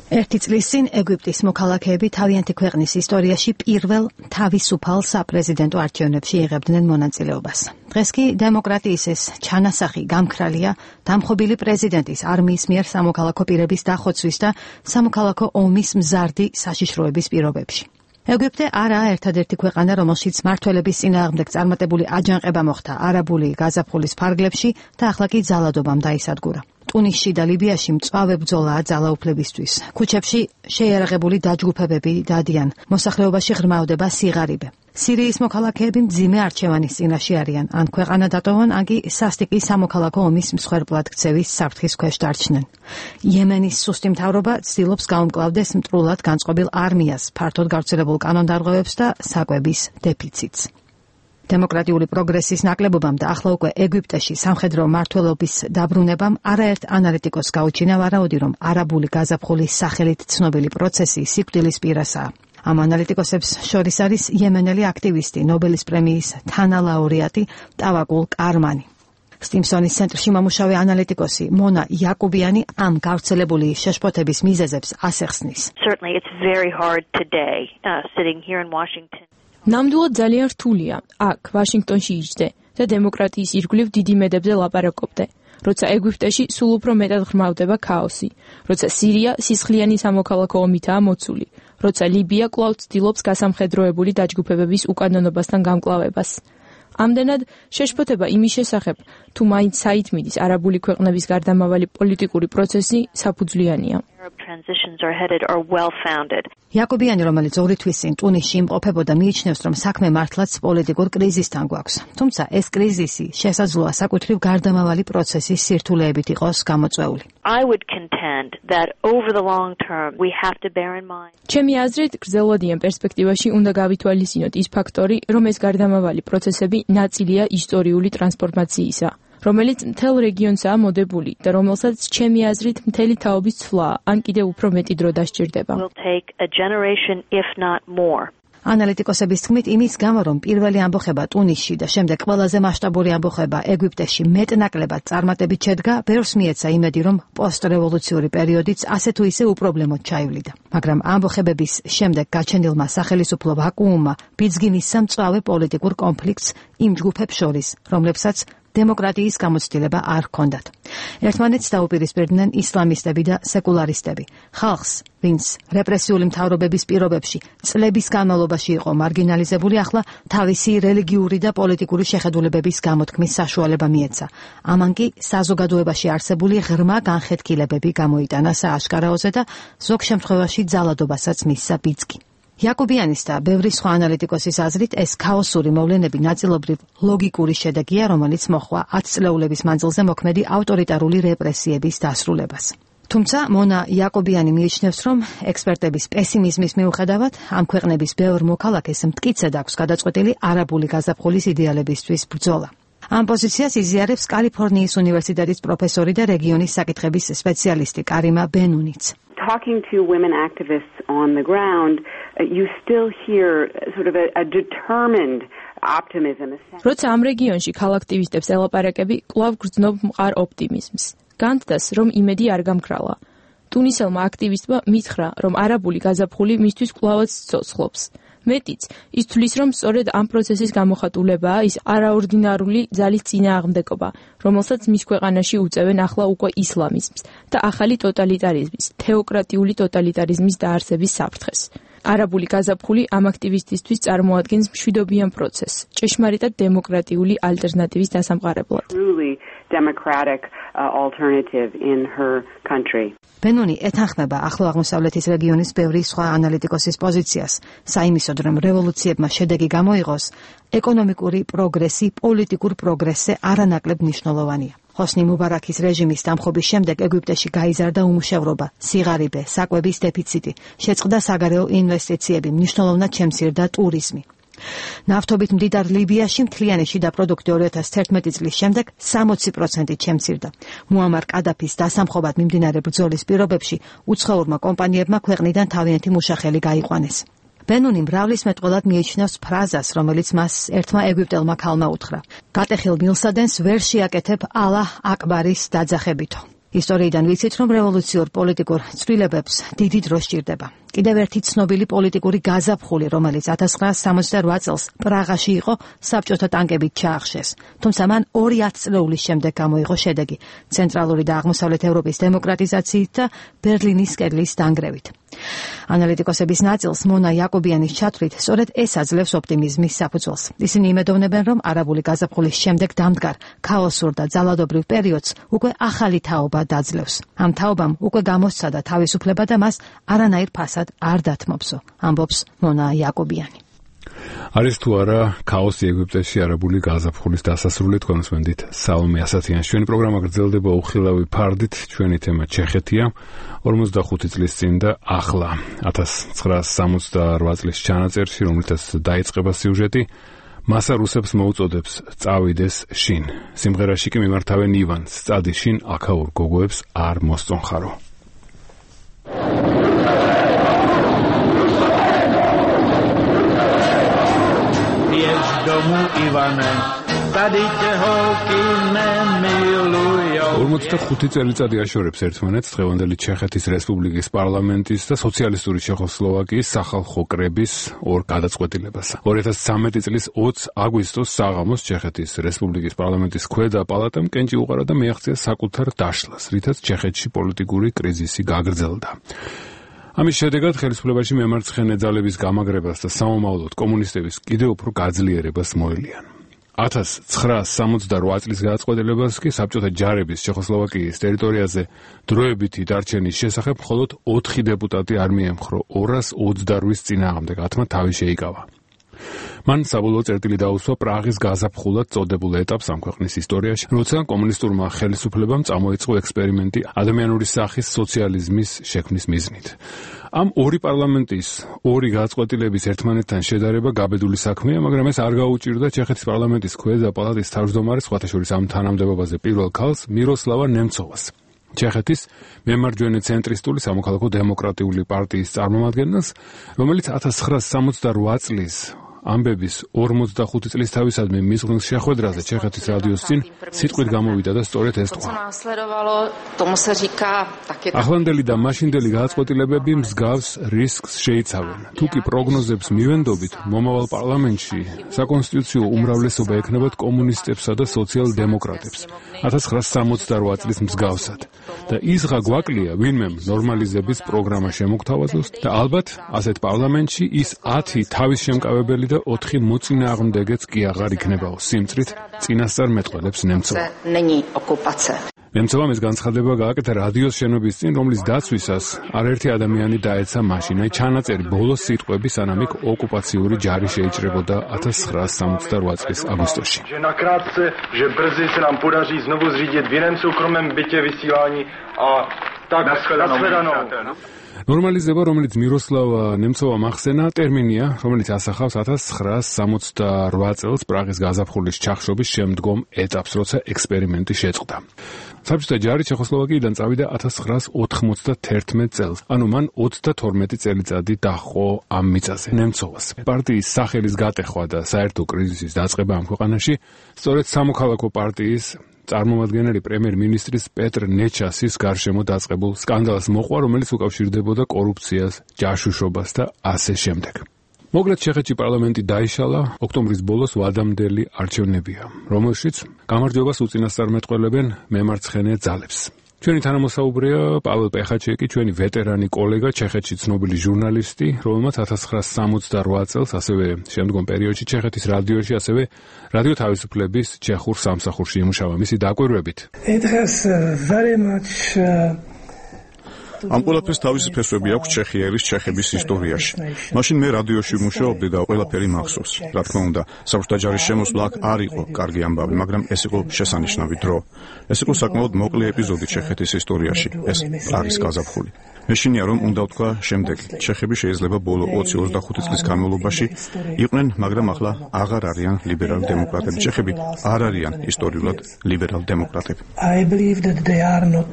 ერთი წლის წინ ეგვიპტის მოქალაქეები თავიანთი ქვეყნის ისტორიაში პირველ თავისუფალ საპრეზიდენტო არჩევნებში იღებდნენ მონაწილეობას. დღეს კი დემოკრატიის ეს ჩანასახი გამქრალია დამხობილი პრეზიდენტის არმიის მიერ სამოქალაქო პირების დახოცვის და სამოქალაქო ომის მზარდი საშიშროების პირობებში. ეგვიპტე არაა ერთადერთი ქვეყანა, რომელშიც მართველების წინააღმდეგ წარმატებული აჯანყება მოხდა არაბული გაზაფხულის ფარგლებში და ახლა კი ძალადობამ დაისადგურა. ტუნისში და ლიბიაში მწვავე ბრძოლაა ძალაუფლებისთვის. ქუჩებში შეიარაღებული დაჯგუფებები დადიან. მოსახლეობაში ღრმავდება სიღარიბე. სირიის მოქალაქეები მძიმე არჩევანის წინაშე არიან, ან ქვეყანა დატოვონ, ან კი სასტიკი სამოქალაქო ომის მსხვერპლად ქცევის საფრთხის ქვეშ დარჩნენ. იემენის სუსტი მთავრობა ცდილობს გაუმკლავდეს მტრულად განწყობილ არმიას, ფართოდ გავრცელებულ კანონდარღვევებს და საკვების დეფიციტს. დემოკრატიული პროგრესის ნაკლებობამ და ახლა უკვე ეგვიპტეში სამხედრო მმართველობის დაბრუნებამ არაერთ ანალიტიკოსს გაუჩინა ვარაუდი, რომ არაბული გაზაფხულის სახელით ცნობილი პროცესი სიკვდილის პირასაა. ამ ანალიტიკოსებს შორის არის იემენელი აქტივისტი, ნობელის პრემიის თანალაურეატი ტავაკულ კარმანი. სტიმსონის ცენტრში მომუშავე ანალიტიკოსი მონა იაკუბიანი ამ გავრცელებული შეშფოთების მიზეზებს ასახსნის. Certainly it's very hard today uh, sitting here in Washington. ნამდვილად ძალიან რთულია აქ ვაშინგტონში იჯდე და დემოკრატიის ირგვლივ დიდი მედებზე ლაპარაკობდე, როცა ეგვიპტეში სულ უფრო მეტად ღრმავდება ქაოსი, როცა სირია სისხლიანი სამოქალაქო ომითაა მოცული, როცა ლიბია კვლავ ცდილობს გასამხედროებული დაჯგუფებების უკანონობასთან გამკლავებას. ამდენად შეშფოთება იმის შესახებ, თუ მაინც საით მიდის არაბული ქვეყნების გარდამავალი პოლიტიკური პროცესი საფუძვლიანია. იაკობიანი, რომელიც ორი თვის წინ ტუნისში იმყოფებოდა, მიიჩნევს, რომ საქმე მართლაც პოლიტიკურ კრიზისთან გვაქვს. თუმცა ეს კრიზისი შესაძლოა საკუთრივ გარდამავალი პროცესის სირთულეებით იყოს გამოწვეული. I would contend that over the long term we have to bear in mind. ჩემი აზრით, გრძელვადიან პერსპექტივაში უნდა გავითვალისწინოთ ის ფაქტორი, რომ ეს გარდამავალი პროცესები ნაწილია ისტორიული ტრანსფორმაციისა, რომელიც მთელ რეგიონსაა მოდებული და რომელსაც ჩემი აზრით მთელი თაობის ცვლა ან კიდევ უფრო მეტი დრო დასჭირდება. ანალიტიკოსების თქმით, იმის გამო, რომ პირველი ამბოხება ტუნისში და შემდეგ ყველაზე მასშტაბური ამბოხება ეგვიპტეში მეტნაკლებად წარმატებით შედგა, ბევრს მიეცა იმედი, რომ პოსტრევოლუციური პერიოდიც ასე თუ ისე უპრობლემოდ ჩაივლიდა. მაგრამ ამბოხებების შემდეგ გაჩენილმა სახელისუფლო ვაკუუმმა ბიძგი მისცა მწვავე პოლიტიკურ კონფლიქტს იმ ჯგუფებს შორის, რომლებსაც დემოკრატიის გამოცდილება არ ჰქონდათ. ერთმანეთს დაუპირისპირდნენ ისლამისტები და სეკულარისტები. ხალხს, ვინც რეპრესიული მთავრობების პირობებში წლების განმავლობაში იყო მარგინალიზებული, ახლა თავისი რელიგიური და პოლიტიკური შეხედულებების გამოთქმის საშუალება მიეცა. ამან კი საზოგადოებაში არსებული ღრმა განხეთქილებები გამოიტანა სააშკარაოზე და ზოგ შემთხვევაში ძალადობასაც მისცა ბიძგი. იაკობიანის და ბევრი სხვა ანალიტიკოსის აზრით, ეს ქაოსური მოვლენები ნაწილობრივ ლოგიკური შედეგია, რომელიც მოჰყვა ათწლეულების მანძილზე მოქმედი ავტორიტარული რეპრესიების დასრულებას. თუმცა მონა იაკობიანი მიიჩნევს, რომ ექსპერტების პესიმიზმის მიუხედავად, ამ ქვეყნების ბევრ მოქალაქეს მტკიცედ აქვს გადაწყვეტილი არაბული გაზაფხულის იდეალებისთვის ბრძოლა. ამ პოზიციას იზიარებს კალიფორნიის უნივერსიტეტის პროფესორი და რეგიონის საკითხების სპეციალისტი კარიმა ბენუნიც. Talking to women activists on the ground, you still hear sort of a, a determined optimism. როცა ამ რეგიონში ქალაქტივისტებს ელაპარაკები, კვლავ გრძნობ მყარ ოპტიმიზმს. განცდას, რომ იმედი არ გამქრალა. ტუნისელმა აქტივისტმა მითხრა, რომ არაბული გაზაფხული მისთვის კვლავაც ცოცხლობს. მეტიც, ის თვლის, რომ სწორედ ამ პროცესის გამოხატულებაა ის არაორდინარული ძალის წინააღმდეგობა, რომელსაც მის ქვეყანაში უწევენ ახლა უკვე ისლამიზმს და ახალი ტოტალიტარიზმის, თეოკრატიული ტოტალიტარიზმის დაარსების საფრთხეს. არაბული გაზაფხული ამ აქტივისტისთვის წარმოადგენს მშვიდობიან პროცესს, ჭეშმარიტად დემოკრატიული ალტერნატივის დასამყარებლად. democratic uh, alternative in her country. ბენონი ეთანხმება ახლო აღმოსავლეთის რეგიონის ბევრი სხვა ანალიტიკოსის პოზიციას, საიმისოდ რომ რევოლუციებმა შედეგი გამოიღოს, ეკონომიკური პროგრესი პოლიტიკურ პროგრესზე არანაკლებ მნიშვნელოვანია. ჰოსნი მუბარაქის რეჟიმის დამხობის შემდეგ ეგვიპტეში გაიზარდა უმუშევრობა, სიღარიბე, საკვების დეფიციტი, შეწყდა საგარეო ინვესტიციები, მნიშვნელოვნად შემცირდა ტურიზმი. ნავთობით მდიდარ ლიბიაში მთლიანი შიდა პროდუქტი ორი ათას თერთმეტი წლის შემდეგ სამოცი პროცენტით შემცირდა. მუამარ კადაფის დასამხობად მიმდინარე ბრძოლის პირობებში უცხოურმა კომპანიებმა ქვეყნიდან თავიანთი მუშახელი გაიყვანეს. ბენუნი მრავლისმეტყველად მიიჩნევს ფრაზას, რომელიც მას ერთმა ეგვიპტელმა ქალმა უთხრა. გატეხილ მილსადენს ვერ შეაკეთებ ალაჰ აკბარის დაძახებითო. ისტორიიდან ვიცით, რომ რევოლუციურ პოლიტიკურ ცვლილებებს დიდი დრო სჭირდება. კიდევ ერთი ცნობილი პოლიტიკური გაზაფხული, რომელიც ათას ცხრაასი სამოცდა რვა წელს პრაღაში იყო, საბჭოთა ტანკებით ჩაახშეს. თუმცა მან ორი ათწლეულის შემდეგ გამოიღო შედეგი ცენტრალური და აღმოსავლეთ ევროპის დემოკრატიზაციით და ბერლინის კედლის დანგრევით. ანალიტიკოსების ნაწილს მონა იაკობიანის ჩათვლით, სწორედ ეს აძლევს ოპტიმიზმის საფუძველს. ისინი იმედოვნებენ, რომ არაბული გაზაფხულის შემდეგ დამდგარ ქაოსურ და ძალადობრივ პერიოდს უკვე ახალი თაობა დაძლევს. ამ თაობამ უკვე გამოსცადა თავისუფლება და მას არანაირ ფასად არ დათმობსო, ამბობს მონა იაკობიანი. არის თუ არა ქაოსი ეგვიპტეში არაბული გაზაფხულის დასასრული, თქვენს მენდით საომე ასათიანს. ჩვენი პროგრამა გრძელდება უხილავი ფარდით, ჩვენი თემა ჩეხეთია, ორმოცდახუთი წლის წინ და ახლა, ათას ცხრაასი სამოცდა რვა წლის ჩანაწერში, რომელთაც დაიწყება სიუჟეტი, მასა რუსებს მოუწოდებს წავიდეს შინ. სიმღერაში კი მიმართავენ ივანს, წადი შინ, აქაურ გოგოებს არ მოსწონხარო. domu Ivane, tady tě holky nemilujou. ორმოცდახუთი წელიწადი აშორებს ერთმანეთს დღევანდელი ჩეხეთის რესპუბლიკის პარლამენტის და სოციალისტური ჩეხოსლოვაკიის სახალხო კრების ორ გადაწყვეტილებას. ორი ათას ცხრამეტი წლის ოცი აგვისტოს საღამოს ჩეხეთის რესპუბლიკის პარლამენტის ქვედა პალატამ კენჭი უყარა და მიაღწია საკუთარ დაშლას, რითაც ჩეხეთში პოლიტიკური კრიზისი გაგრძელდა. ამის შედეგად ხელისუფლებაში მემარცხენე ძალების გამაგრებას და სამომავლოდ კომუნისტების კიდევ უფრო გაძლიერებას მოელიან. ათას ცხრაასი სამოცდა რვა წლის გადაწყვეტილებას კი საბჭოთა ჯარების ჩეხოსლოვაკიის ტერიტორიაზე დროებითი დარჩენის შესახებ მხოლოდ ოთხი დეპუტატი არ მიემხრო ორას ოცდარვის წინააღმდეგ, ათმა თავი შეიკავა. მან საბოლოო წერტილი დაუსვა პრაღის გაზაფხულად წოდებულ ეტაპს ამ ქვეყნის ისტორიაში, როცა კომუნისტურმა ხელისუფლებამ წამოიწყო ექსპერიმენტი ადამიანური სახის სოციალიზმის შექმნის მიზნით. ამ ორი პარლამენტის ორი გადაწყვეტილების ერთმანეთთან შედარება გაბედული საქმეა, მაგრამ ეს არ გაუჭირდა ჩეხეთის პარლამენტის ქვედა პალატის თავმჯდომარის, სხვათა შორის ამ თანამდებობაზე პირველ ქალს, მიროსლავა ნემცოვას. ჩეხეთის მემარჯვენე ცენტრისტული სამოქალაქო დემოკრატიული პარტიის წარმომადგენელს, რომელიც ათას ცხრაასი სამოცდაოთხ წლის ამბების ორმოცდახუთი წლის თავისადმი მისღვნის შეხვედრაზე ჩეხეთის რადიოს წინ სიტყვით გამოვიდა და სწორედ ეს თქვა. ახლანდელი და მაშინდელი გადაწყვეტილებები მსგავს რისკს შეიცავენ. თუ კი პროგნოზებს მივენდობით, მომავალ პარლამენტში საკონსტიტუციო უმრავლესობა ექნებათ კომუნისტებსა და სოციალ-დემოკრატებს ათას ცხრაასი სამოცდაოთხ წლის მსგავსად. და ისღა გვაკლია ვინმემ ნორმალიზების პროგრამა შემოგთავაზოს და ალბათ ასეთ პარლამენტში ის ათი თავის შემკავებელი და ოთხი მოწინააღმდეგეც კი აღარ იქნებაო. სიმწრით წინასწარ მეტყველებს ნემცოვა. ნემცოვამ ეს განცხადება გააკეთა რადიოს შენობის წინ, რომლის დაცვისას არაერთი ადამიანი დაეცა მაშინაი ჩანაწერი ბოლოს სიტყვები, სანამ იქ ოკუპაციური ჯარი შეიჭრებოდა ათას ცხრაასი სამოცდაოთხ წლის აგვისტოში. ნორმალიზება, რომელიც მიროსლავ ნემცოვამ ახსენა, ტერმინია, რომელიც ასახავს ათას ცხრაასი სამოცდაოთხ წელს პრაღის გაზაფხულის ჩახშობის შემდგომ ეტაპს, როცა ექსპერიმენტი შეწყდა. საბჭოთა ჯარი ჩეხოსლოვაკიიდან წავიდა ათას ცხრაასი ოთხმოცდათერთმეტ წელს, ანუ მან ოცდათორმეტი წელიწადი დაჰყო ამ მიწაზე ნემცოვას. პარტიის სახელის გატეხვა და საერთო კრიზისის დაწყება ამ ქვეყანაში სწორედ სამოქალაქო პარტიის წარმომადგენელი პრემიერ-მინისტრის პეტრ ნეჩასის გარშემო დაწყებულ სკანდალს მოყვა, რომელიც უკავშირდებოდა კორუფციას, ჯაშუშობას და ასე შემდეგ. მოკლედ ჩეხეთში პარლამენტი დაიშალა, ოქტომბრის ბოლოს ვადამდელი არჩევნებია, რომელშიც გამარჯვებას უწინასწარმეტყველებენ მემარცხენე ძალებს. ჩვენი თანამოსაუბრეა პაվել პეხაჩეკი, ჩვენი ვეტერანი კოლეგა, ჩეხეთში ცნობილი ჟურნალისტი, რომელმაც ათას ცხრაასი სამოცდაოთხ წელს, ასევე შემდგომ პერიოდში ჩეხეთის რადიოში, ასევე რადიო თავისუფლების ჩეხურ სამსახურში იმუშავა. მისი დაკვირვებით. It has very much uh... ამ ყველაფერს თავისი ფესვები აქვს ჩეხიელის ჩეხების ისტორიაში. მაშინ მე რადიოში ვმუშაობდი და ყველაფერი მახსოვს. რა თქმა უნდა, საბჭოთა ჯარის შემოსვლა აქ არ იყო კარგი ამბავი, მაგრამ ეს იყო შესანიშნავი დრო. ეს იყო საკმაოდ მოკლე ეპიზოდი ჩეხეთის ისტორიაში, ეს პრაღის გაზაფხული. მეშინია რომ უნდა ვთქვა შემდეგი. ჩეხები შეიძლება ბოლო ოცი ოცდახუთი წლის განმავლობაში იყვნენ, მაგრამ ახლა აღარ არიან ლიბერალ დემოკრატები. ჩეხები არ არიან ისტორიულად ლიბერალ დემოკრატები. I believe that they are not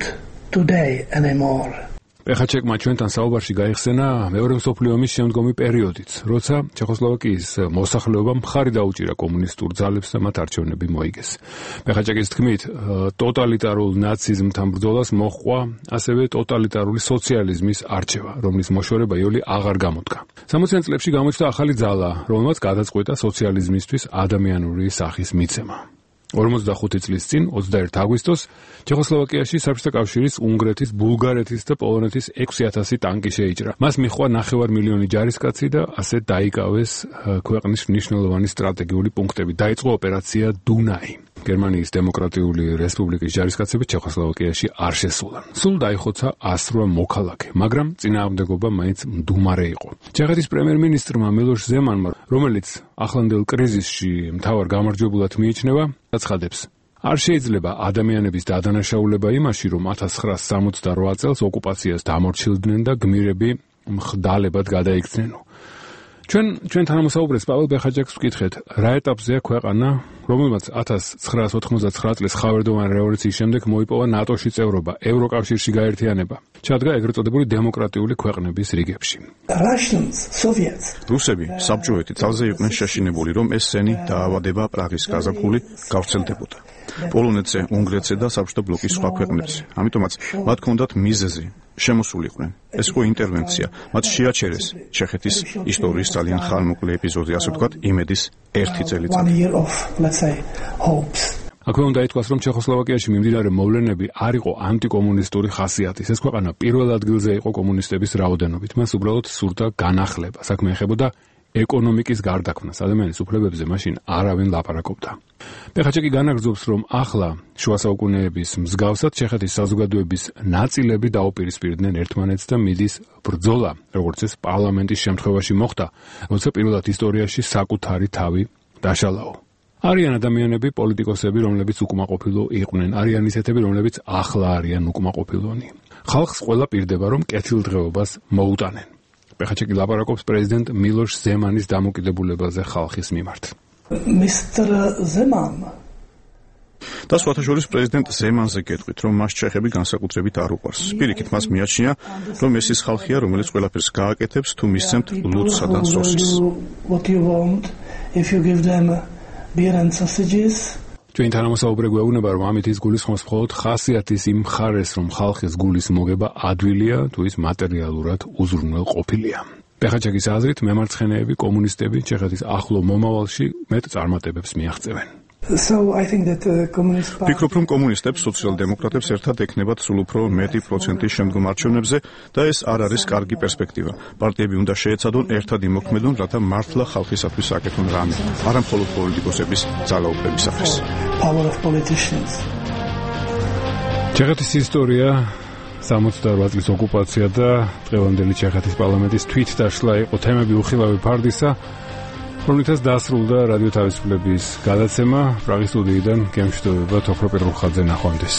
today anymore. პეხაჩეკმა ჩვენთან საუბარში გაიხსენა მეორე მსოფლიო ომის შემდგომი პერიოდიც, როცა ჩეხოსლოვაკიის მოსახლეობამ მხარი დაუჭირა კომუნისტურ ძალებს და მათ არჩევნები მოიგეს. პეხაჩეკის თქმით, ტოტალიტარულ ნაციზმთან ბრძოლას მოჰყვა ასევე ტოტალიტარული სოციალიზმის არჩევა, რომლის მოშორება იოლი აღარ გამოდგა. სამოციან წლებში გამოჩნდა ახალი ძალა, რომელმაც გადაწყვეტა სოციალიზმისთვის ადამიანური სახის მიცემა. ორმოცდახუთი წლის წინ, ოცდაერთი აგვისტოს, ჩეხოსლოვაკიაში საბჭოთა კავშირის, უნგრეთის, ბულგარეთის და პოლონეთის ექვსი ათასი ტანკი შეიჭრა. მას მიჰყვა ნახევარ მილიონი ჯარისკაცი და ასე დაიკავეს ქვეყნის მნიშვნელოვანი სტრატეგიული პუნქტები. დაიწყო ოპერაცია დუნაი. გერმანიის დემოკრატიული რესპუბლიკის ჯარისკაცები ჩეხოსლოვაკიაში არ შესულან. სულ დაიხოცა ასრვა მოქალაქე, მაგრამ წინააღმდეგობა მაინც მდუმარე იყო. ჩეხეთის პრემიერ-მინისტრმა მილოშ ზემანმა, რომელიც ახლანდელ კრიზისში მთავარ გამარჯვებულად მიიჩნევა, აცხადებს: არ შეიძლება ადამიანების დადანაშაულება იმაში, რომ ათას ცხრაასი სამოცდაოთხ წელს ოკუპაციას დამორჩილდნენ და გმირები მხდალებად გადაიქცნენო. ჩვენ ჩვენ თანამოსაუბრეს პაվել პეხაჩეკს ვკითხეთ, რა ეტაპზეა ქვეყანა, რომელმაც ათას ცხრაასი ოთხმოცდათვრამეტ წლის ხავერდოვანი რევოლუციის შემდეგ მოიპოვა ნატოში წევრობა, ევროკავშირში გაერთიანება. ჩადგა ეგრეთ წოდებული დემოკრატიული ქვეყნების რიგებში. რუსები საბჭოეთი ძალზე იყვნენ შეშინებული, რომ ეს სენი დაავადება პრაღის გაზაფხული გავრცელდებოდა. პოლონეთზე, უნგრეთზე და საბჭოთა ბლოკის სხვა ქვეყნებზე. ამიტომაც მათ ჰქონდათ მიზეზი, შემოსულიყვნენ. ეს იყო ინტერვენცია. მათ შეაჩერეს ჩეხეთის ისტორიის ძალიან ხანმოკლე ეპიზოდი, ასე ვთქვათ, იმედის ერთი წელიწადი. აქვე უნდა ითქვას, რომ ჩეხოსლოვაკიაში მიმდინარე მოვლენები არ იყო ანტიკომუნისტური ხასიათის. ეს ქვეყანა პირველ ადგილზე იყო კომუნისტების რაოდენობით. მას უბრალოდ სურდა განახლება. საქმე ეხებოდა ეკონომიკის გარდაქმნას. ადამიანის უფლებებზე მაშინ არავინ ლაპარაკობდა. პეხაჩეკი განაგრძობს, რომ ახლა შუა საუკუნეების მსგავსად ჩეხეთის საზოგადოების ნაწილები დაუპირისპირდნენ ერთმანეთს და მიდის ბრძოლა, როგორც ეს პარლამენტის შემთხვევაში მოხდა, როცა პირველად ისტორიაში საკუთარი თავი დაშალაო. არიან ადამიანები, პოლიტიკოსები, რომლებიც უკმაყოფილო იყვნენ, არიან ისეთები, რომლებიც ახლა არიან უკმაყოფილონი. ხალხს ყველა პირდება, რომ კეთილდღეობას მოუტანენ. პეხაჩეკი ლაპარაკობს პრეზიდენტ მილოშ ზემანის დამოკიდებულებაზე ხალხის მიმართ. Mister Zeman და სხვათაშორის პრეზიდენტ ზემანზე გეტყვით, რომ მას ჩეხები განსაკუთრებით არ უყვარს. პირიქით მას მიაჩნია, რომ ეს ის ხალხია, რომელიც ყველაფერს გააკეთებს თუ მისცემთ ლუდსა და სოსის. If you give them beer and sausages. ჩვენ თანამოსაუბრე გვეუბნება, რომ ამით ის გულისხმობს მხოლოდ ხასიათის იმ მხარეს, რომ ხალხის გულის მოგება ადვილია თუ ის მატერიალურად უზრუნველ ყოფილია. პეხაჩაკის აზრით, მემარცხენეები, კომუნისტები ჩეხეთის ახლო მომავალში მეტ წარმატებებს მიაღწევენ. So I think that the communist party ფიქრობ, რომ კომუნისტებს, სოციალ-დემოკრატებს ერთად ექნებათ სულ უფრო მეტი პროცენტი შემდგომ არჩევნებზე და ეს არ არის კარგი პერსპექტივა. პარტიები უნდა შეეცადონ ერთად იმოქმედონ, რათა მართლა ხალხისათვის აკეთონ რამე, არა მხოლოდ პოლიტიკოსების ძალაუფლებისათვის. Power of politicians. ჩეხეთის ისტორია სამოცდაორ წლის ოკუპაცია და დღევანდელი ჩეხეთის პარლამენტის თვითდაშლა იყო თემები უხილავი ფარდისა, რომლითაც დასრულდა რადიო თავისუფლების გადაცემა. პრაღის სტუდიიდან გემშვიდობება თოფრო პეტროხაძე ნახვამდის.